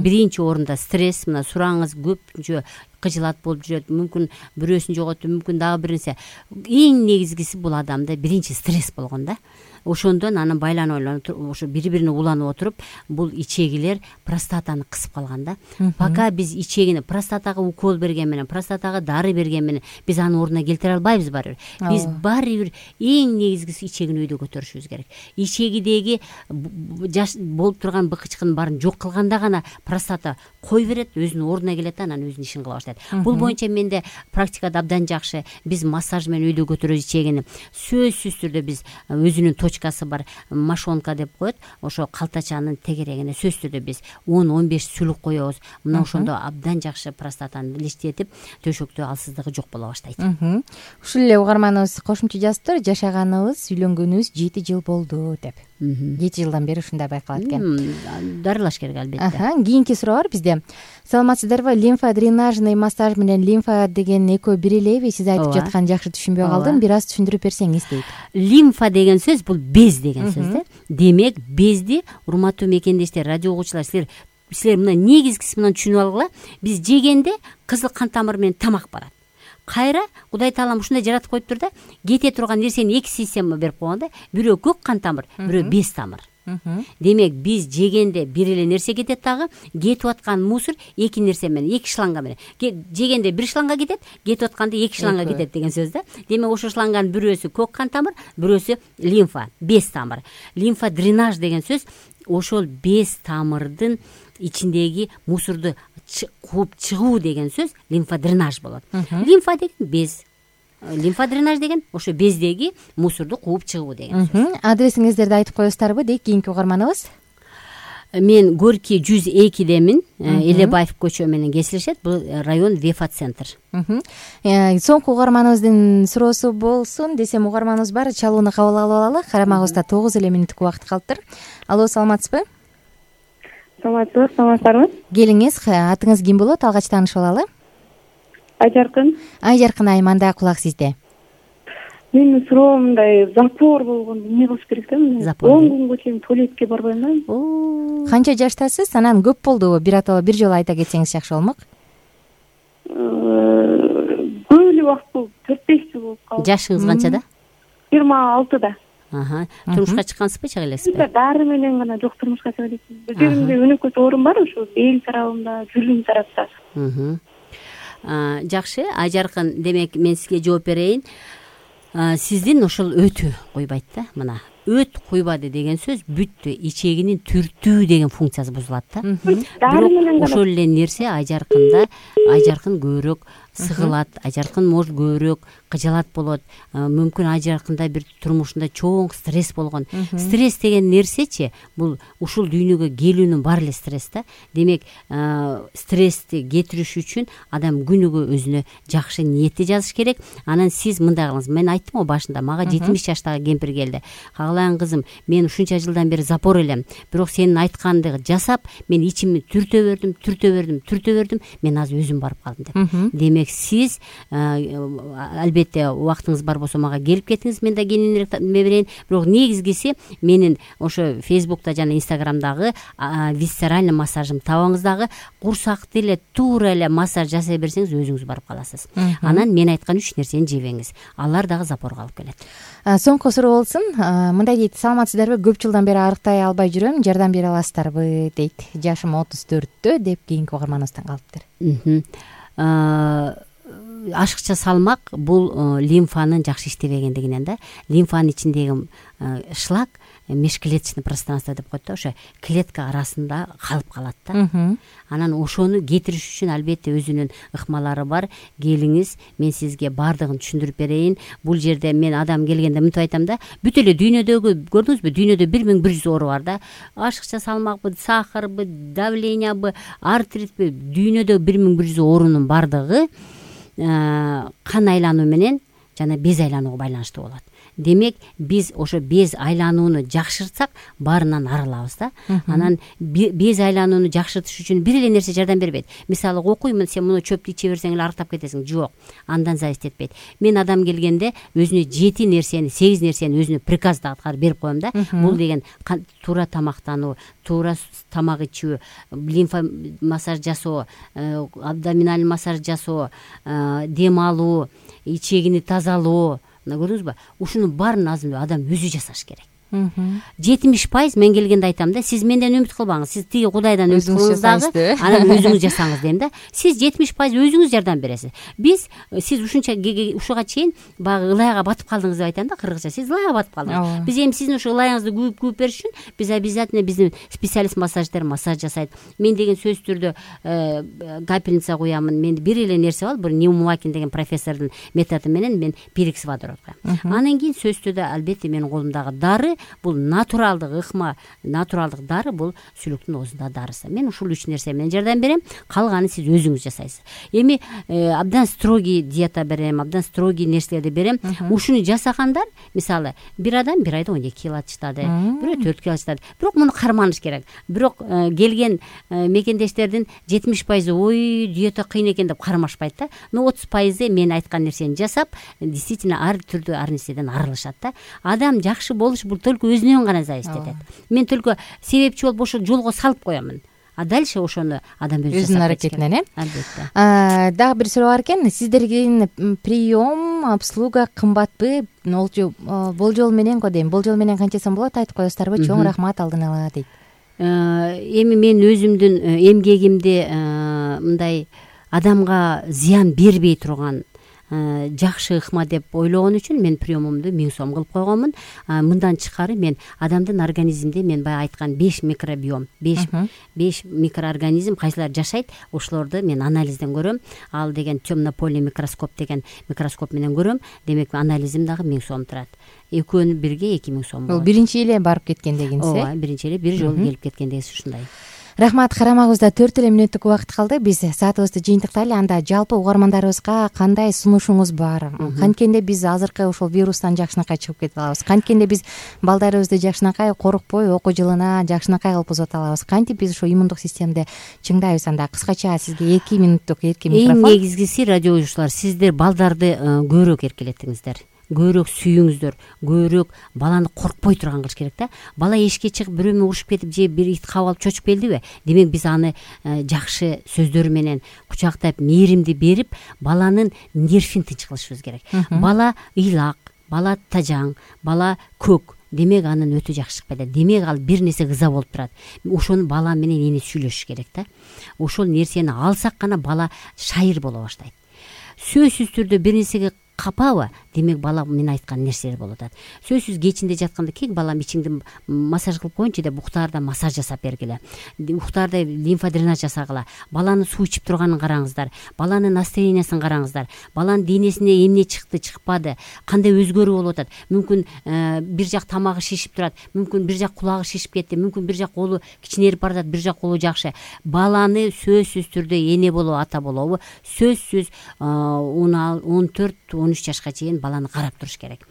Биринчи орунда стресс, мына сураңыз көпүнчө кыжылат болуп жүрөт, мүмкүн бирөөсүн жоготту, мүмкүн дагы бир нерсе. Эң негизгиси бул адамда биринчи стресс болгон да. Ошондон анан байланып ошо бири-бирине уланып отуруп, бул ичегилер простатаны кысып калган да. Пока биз ичегини простатага укол берген менен, простатага дары берген менен биз аны ордуна келтире албайбыз барыбир. Биз баары бир эң негизгиси ичегини өйдө көтөрүшүбүз керек. Ичегидеги болуп турган быкычкынын баарын жок кылганда гана простата кой берет, өзүнүн ордуна келет, анан өзүнүн ишин кыла баштайт. Бул боюнча менде практикада абдан жакшы. Биз массаж менен өйдө көтөрөбүз ичегини. Сөзсүз түрдө биз өзүнүн точкасы бар, мошонка деп коет. Ошо калтачанын тегерегине сөзсүз түрдө биз 10-15 сүлүк коебуз. Мына ошондо абдан жакшы простатаны иликтетип, төшөктө алсыздыгы жок боло баштайт. Ушул эле угарманыбыз кошумча жазыптыр. Жашаганыбыз, үйлөнгөнүбүз 7 жыл болду деп. 7 жылдан бери ушундай байкалат экен. Дарылаш керек албетте. Кийинки суроо бар бизде. Саламатсыздарбы? Лимфа дренажный массаж менен лимфа деген экөө бир элеби? Сиз айтып жаткан жакшы түшүнбөй калдым. Бир аз түшүндүрүп берсеңиз дейт. Лимфа деген сөз бул без деген сөз да. Демек безди, урматтуу мекендештер, радио угуучулар, силер мына негизгиси менен түшүнүп алгыла. Биз жегенде кызыл кан тамыр менен тамак барат. Кайра Кудай Таалам ушундай жаратып коюптур да, кете турган нерсени эки система берип койгон да. Бирөө көк кан тамыр, бирөө без тамыр. Демек биз жегенде бир эле нерсе кетет, дагы кетип аткан мусор эки нерсе менен, эки шланга менен. Жегенде бир шланга кетет, кетип атканда эки шланга кетет деген сөз да. Демек ошо шланганын бирөөсү көк кан тамыр, бирөөсү лимфа, без тамыр. Лимфа дренаж деген сөз ошол без тамырдын ичиндеги мусорду кууп чыгуу деген сөз лимфа дренаж болот. Лимфа деген без, лимфа дренаж деген ошо бездеги мусорду кууп чыгуу деген сөз. Адресиңиздерди айтып коесуздарбы дейт кийинки угарманыбыз? Мен Горький 102демин, Элебаев көчө менен кесилишет. Бул район Вефа центр. Соңку угарманыбыздын суроосу болсун десем, угарманыбыз бар. Чалууну кабыл алып алалы. Карамагыбызда 9 эле мүнөттүк убакыт калыптыр. Алло, саламатсызбы? Саламатсызбы? Келиңиз, атыңыз ким болот? Алгач таанышып алалы. Айжаркын. Айжаркын айым, анда кулак сизде. Менин суроом мындай, запор болгон эмне кылыш керек да? 10 күнгө чейин туалетке барбайм да. Канча жаштасыз? Анан көп болдубу? Бир жолу айта кетсеңиз жакшы болмок. Көп эле убакыт болуп, 4-5 жыл болуп калды. Жашыңыз канчада? 26да. Турмушка чыккансызбы, чыга элесизби? Дары менен гана жок, турмушка чыга элесиз. Өзүмдө өнөкөс оорум бар, ошо бел тарабымда, жүлүм тарапта. Жакшы, Айжаркын, демек мен сизге жооп берейин. Сиздин ошол өтү койбойт да. Мына өт койбады деген сөз бүттү, ичегинин түртүү деген функциясы бузулат да. Бирок ошол эле нерсе Айжаркында, Айжаркын көбүрөөк сыгылат, Айжаркын может көбүрөөк кыжалат болот. Мүмкүн Айжаркында бир турмушунда чоң стресс болгон. Стресс деген нерсечи, бул ушул дүйнөгө келүүнүн баары эле стресс да. Демек, стрессти кетириш үчүн адам күнүгө өзүнө жакшы ниетти жазыш керек. Анан сиз мындай кылыңыз. Мен айттым го башында, мага 70 жаштагы кемпир келди. Кагалайын кызым, мен ушунча жылдан бери запор элем. Бирок сенин айтканды жасап, мен ичимди түртө бердим. Мен азыр өзүм барып калдым деп. Демек, сиз албетте убактыңыз бар болсо мага келип кетиңиз, мен да кененирээк берейин. Бирок негизгиси менин ошо Фейсбукта жана Инстаграмдагы висцеральный массажым табаңыз, дагы курсакты эле туура эле массаж жасай берсеңиз өзүңүз барып каласыз. Анан мен айткан 3 нерсени жебеңиз. Алар дагы запорго алып келет. Соңку суроо болсун. Мындай дейт: саламатсыздарбы? Көп жылдан бери арыктай албай жүрөм. Жардам бере аласыздарбы дейт. Жашым 34 деп кийинки угарманыбыздан калыптыр. Ашыкча салмак бул лимфанын жакшы иштебегендигинен да. Лимфанын ичиндеги шлак межклеточный пространство деп коет да, ошо клетка арасында калып калат да. Анан ошону кетириш үчүн албетте өзүнүн ыкмалары бар. Келиңиз, мен сизге бардыгын түшүндүрүп берейин. Бул жерде мен адам келгенде мынтип айтам да, бүт эле дүйнөдөгү, көрдүңүзбү, дүйнөдө 1100 оору бар да. Ашыкча салмакпы, сахарбы, давлениябы, артритпи, дүйнөдө 1100 оорунун бардыгы кан айлануу менен жана без айланууга байланыштуу болот. Демек биз ошо без айланууну жакшыртсак баарынан арылабыз да. Анан без айланууну жакшыртыш үчүн бир эле нерсе жардам бербейт. Мисалы окуймун, сен муну чөптү иче берсең эле арыктап кетесиң. Жок, андан зависит этпейт. Мен адам келгенде өзүнө 7 нерсени, 8 нерсени өзүнө приказды аткарып берип коем да. Бул деген туура тамактануу, туура тамак ичүү, лимфа массаж жасоо, абдоминаль массаж жасоо, дем алуу, ичегини тазалоо. Көрдүңүзбү? Ушунун баарын азыр адам өзү жасаш керек. 70% мен келгенде айтам да, сиз менден үмүт кылбаңыз, сиз тиги Кудайдан үмүт кылыңыз дагы, анан өзүңүз жасаңыз дейм да. Сиз 70% өзүңүз жардам бересиз. Сиз ушуга чейин баягы ылайга батып калдыңыз деп айтам да, кыргызча. Сиз ылайга батып калдыңыз. Биз эми сиздин ушу ылайыңызды күүп бериш үчүн биз обязательно биздин специалист массаждер массаж жасайт. Мен деген сөзсүз түрдө капельница куямын. Менде бир эле нерсе бар, бир Ньюмакин деген профессордун методу менен мен перекс водород коем. Анан кийин сөзсүз түрдө албетте менин колумдагы дары бул натуралдык ыкма, натуралдык дары бул сүлүктүн оозунда дарысы. Мен ушул 3 нерсе менен жардам берем, калганын сиз өзүңүз жасайсыз. Эми абдан строгий диета берем, абдан строгий нерселерди берем. Ушуну жасагандар, мисалы, бир адам бир айда 12 кило чыктады, бирөө 4 кило чыктады. Бирок муну карманыш керек. Бирок келген мекендештердин 70% ой, диета кыйын экен деп кармашпайт да. 30% мен айткан нерсени жасап, действительно ар түрдүү ар нерседен арылышат да. Адам жакшы болуш бул только өзүнөн гана зависит этет. Мен только себепчи болуп ошол жолго салып коемун. А дальше ошону адам өзүнүн аракетинен, албетте. Дагы бир суроо бар экен. Сиздердин прием, обслуга кымбатпы? Болжол менен го дейм. Болжол менен канча сом болот, айтып коесуздарбы? Чоң рахмат алдын ала дейт. Эми мен өзүмдүн эмгегимди мындай адамга зыян бербей турган жакшы ыкма деп ойлогон үчүн мен приемумду 1000 сом кылып койгонмун. Мындан тышкары мен адамдын организминде мен баягы айткан 5 микробиом, 5 микроорганизм кайсылар жашайт, ошолорду мен анализден көрөм. Ал деген темнополый микроскоп деген микроскоп менен көрөм. Демек анализим дагы 1000 сом турат. Экөөнү бирге 2000 сом болот. Бул биринчи эле барып кеткен дегенсиз. Ооба, биринчи эле бир жолу келип кеткен дегенсиз ушундай. Рахмат, карамагыбызда 4 мүнөттүк убакыт калды. Биз саатыбызды жыйынтыктайлы. Анда жалпы угармандарыбызга кандай сунушуңуз бар? Канткенде биз азыркы ушул вирустан жакшынакай чыгып кетип алабыз? Канткенде биз балдарыбызды жакшынакай коркпой окуу жылына жакшынакай кылып узата алабыз? Кантип биз ошо иммундук системди чыңдайбыз? Анда кыскача сизге 2 мүнөттүк эркин микрофон. Эң негизгиси, радио угуучулар, сиздер балдарды көбүрөөк эркелетиңиздер. Көбүрөөк сүйүңүздөр, көбүрөөк баланы коркпой турган кылыш керек да. Бала эшикке чыгып бирөө менен урушуп кетип же бир ит кабып алып чочуп келдиби? Демек биз аны жакшы сөздөр менен кучактап, мээримди берип, баланын нервин тынч кылышыбыз керек. Бала ыйлак, бала тажаң, бала көк. Демек анын өтө жакшы чыкпайт. Демек ал бир нерсе кыза болуп турат. Ошону бала менен эне сүйлөшүш керек да. Ошол нерсени алсак гана бала шайыр боло баштайт. Сөзсүз түрдө бир нерсеге капабы, демек бала мен айткан нерселер болуп атат. Сөзсүз кечинде жатканда кек балам ичиңди массаж кылып коюнчу деп уктаарда массаж жасап бергиле. Уктаарда лимфа дренаж жасагыла. Баланы суу ичип турганын караңыздар. Баланын настроениясын караңыздар. Баланын денесине эмне чыкты, чыкпады, кандай өзгөрүү болуп атат. Мүмкүн бир жак тамагы шишип турат, мүмкүн бир жак кулагы шишип кетти, мүмкүн бир жак колу кичинерип баратат, бир жак колу жакшы. Баланы сөзсүз түрдө эне болобу, ата болобу, сөзсүз 14-13 жашка чейин баланы карап туруш керек.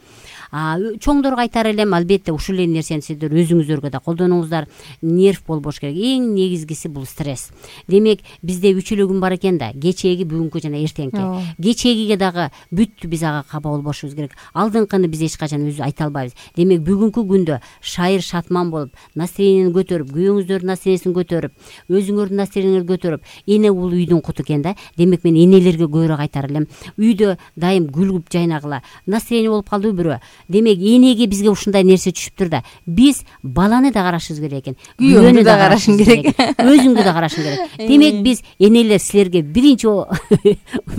Чоңдорго айтар элем, албетте ушул эле нерсени сиздер өзүңүздөргө да колдонуңуздар. Нерв болбош керек. Эң негизгиси бул стресс. Демек бизде 3 эле күн бар экен да, кечээги, бүгүнкү жана эртеңки. Кечээгиге дагы бүт биз ага каба болбошубуз керек. Алдыңкыны биз эч качан өзү айта албайбыз. Демек бүгүнкү күндө шайыр шатман болуп, настроениени көтөрүп, күйөөңүздөрдүн настроенисин көтөрүп, өзүңөрдүн настроениңерди көтөрүп, эне бул үйдүн куту экен да. Демек мен энелерге көбүрөөк айтар элем. Үйдө дайым күлүп жайнагыла. Настроение болуп калдыбы бирөө? Демек энеге бизге ушундай нерсе түшүптүр да. Биз баланы да карашыбыз керек экен. Күйөөнү да карашың керек. Өзүңдү да карашың керек. Демек биз энелер силерге биринчи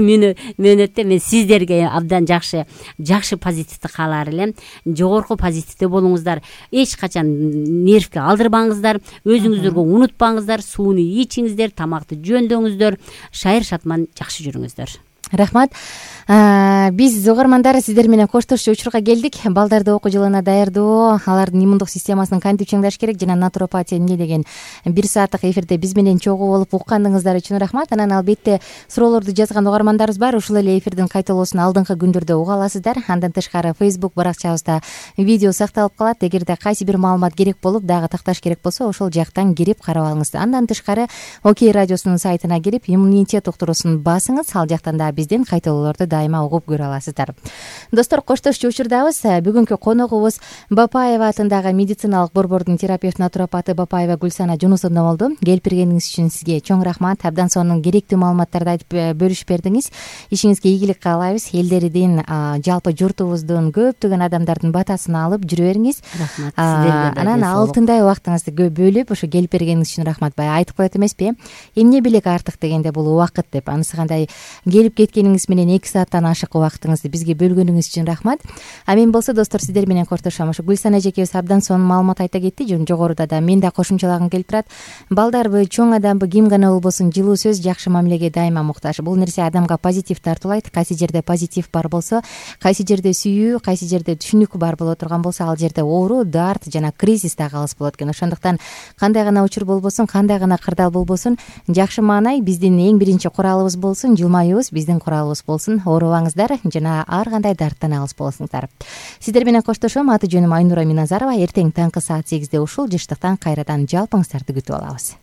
мөөнөттө мен сиздерге абдан жакшы позитивди каалар элем. Жогорку позитивде болуңуздар. Эч качан нервге алдырбаңыздар. Өзүңүздөргө унутпаңыздар. Сууну ичиңиздер, тамакты жөндөңүздөр. Шайыр шатман жакшы жүрүңүздөр. Рахмат. Биз угармандар сиздер менен коштошчу учурга келдик. Балдарды окуу жылына даярдоо, алардын иммундук системасын кантип чыңдаш керек жана натуропатия эмне деген 1 сааттык эфирде биз менен чогуу болуп уккандыгыңыздар үчүн рахмат. Анан албетте суроолорду жазган угармандарыбыз бар. Ушул эле эфирдин кайталоосун алдыңкы күндөрдө уга аласыздар. Андан тышкары Facebook баракчабызда видео сакталып калат. Эгерде кайсы бир маалымат керек болуп дагы такташ керек болсо ошол жактан кирип карап алыңыз. Андан тышкары Окей радиосунун сайтына кирип иммунитет уктуруусун басыңыз. Ал жактан да биздин кайталоолорду дайыма угуп көрө аласыздар. Достор, коштошчу учурдабыз. Бүгүнкү коногубуз Бапаева атындагы медициналык борбордун терапевт натуропаты Бапаева Гүлсана Жунусовна болду. Келип бергениңиз үчүн сизге чоң рахмат. Абдан сонун керектүү маалыматтарды айтып бөлүшүп бердиңиз. Ишиңизге ийгилик каалайбыз. Элдердин, жалпы журтубуздун көптөгөн адамдардын батасын алып жүрө бериңиз. Рахмат. Сиздерге Анан алтындай убактыңызды бөлүп ошо келип бергениңиз үчүн рахмат. Баягы айтып коет эмеспи? Эмне белек артык дегенде бул убакыт деп. Анысы кандай келип кеткениңиз менен 2 сааттан ашык убактыңызды бизге бөлгөнүңүз үчүн рахмат. Мен болсо достор сиздер менен коштошом. Ошо Гүлсана эжекебиз абдан сонун маалымат айта кетти. Жогоруда да мен да кошумчалагым келип турат. Балдарбы, чоң адамбы, ким гана болбосун жылуу сөз, жакшы мамилеге дайыма муктаж. Бул нерсе адамга позитив тартуулайт. Кайсы жерде позитив бар болсо, кайсы жерде сүйүү, кайсы жерде түшүнүк бар боло турган болсо, ал жерде оору, дарт жана кризис да калыс болот экен. Ошондуктан кандай гана учур болбосун, кандай гана кырдаал болбосун, жакшы маанай биздин эң биринчи куралыбыз болсун, жылмаюубуз биздин куралыбыз болсун. Оорубаңыздар жана ар кандай дарттан алыс болосуңуздар. Сиздер менен коштошом. Аты жөнүм Айнура Миназарова. Эртең таңкы саат 8-де ушул жыштыктан кайрадан жалпыңыздарды күтүп алабыз.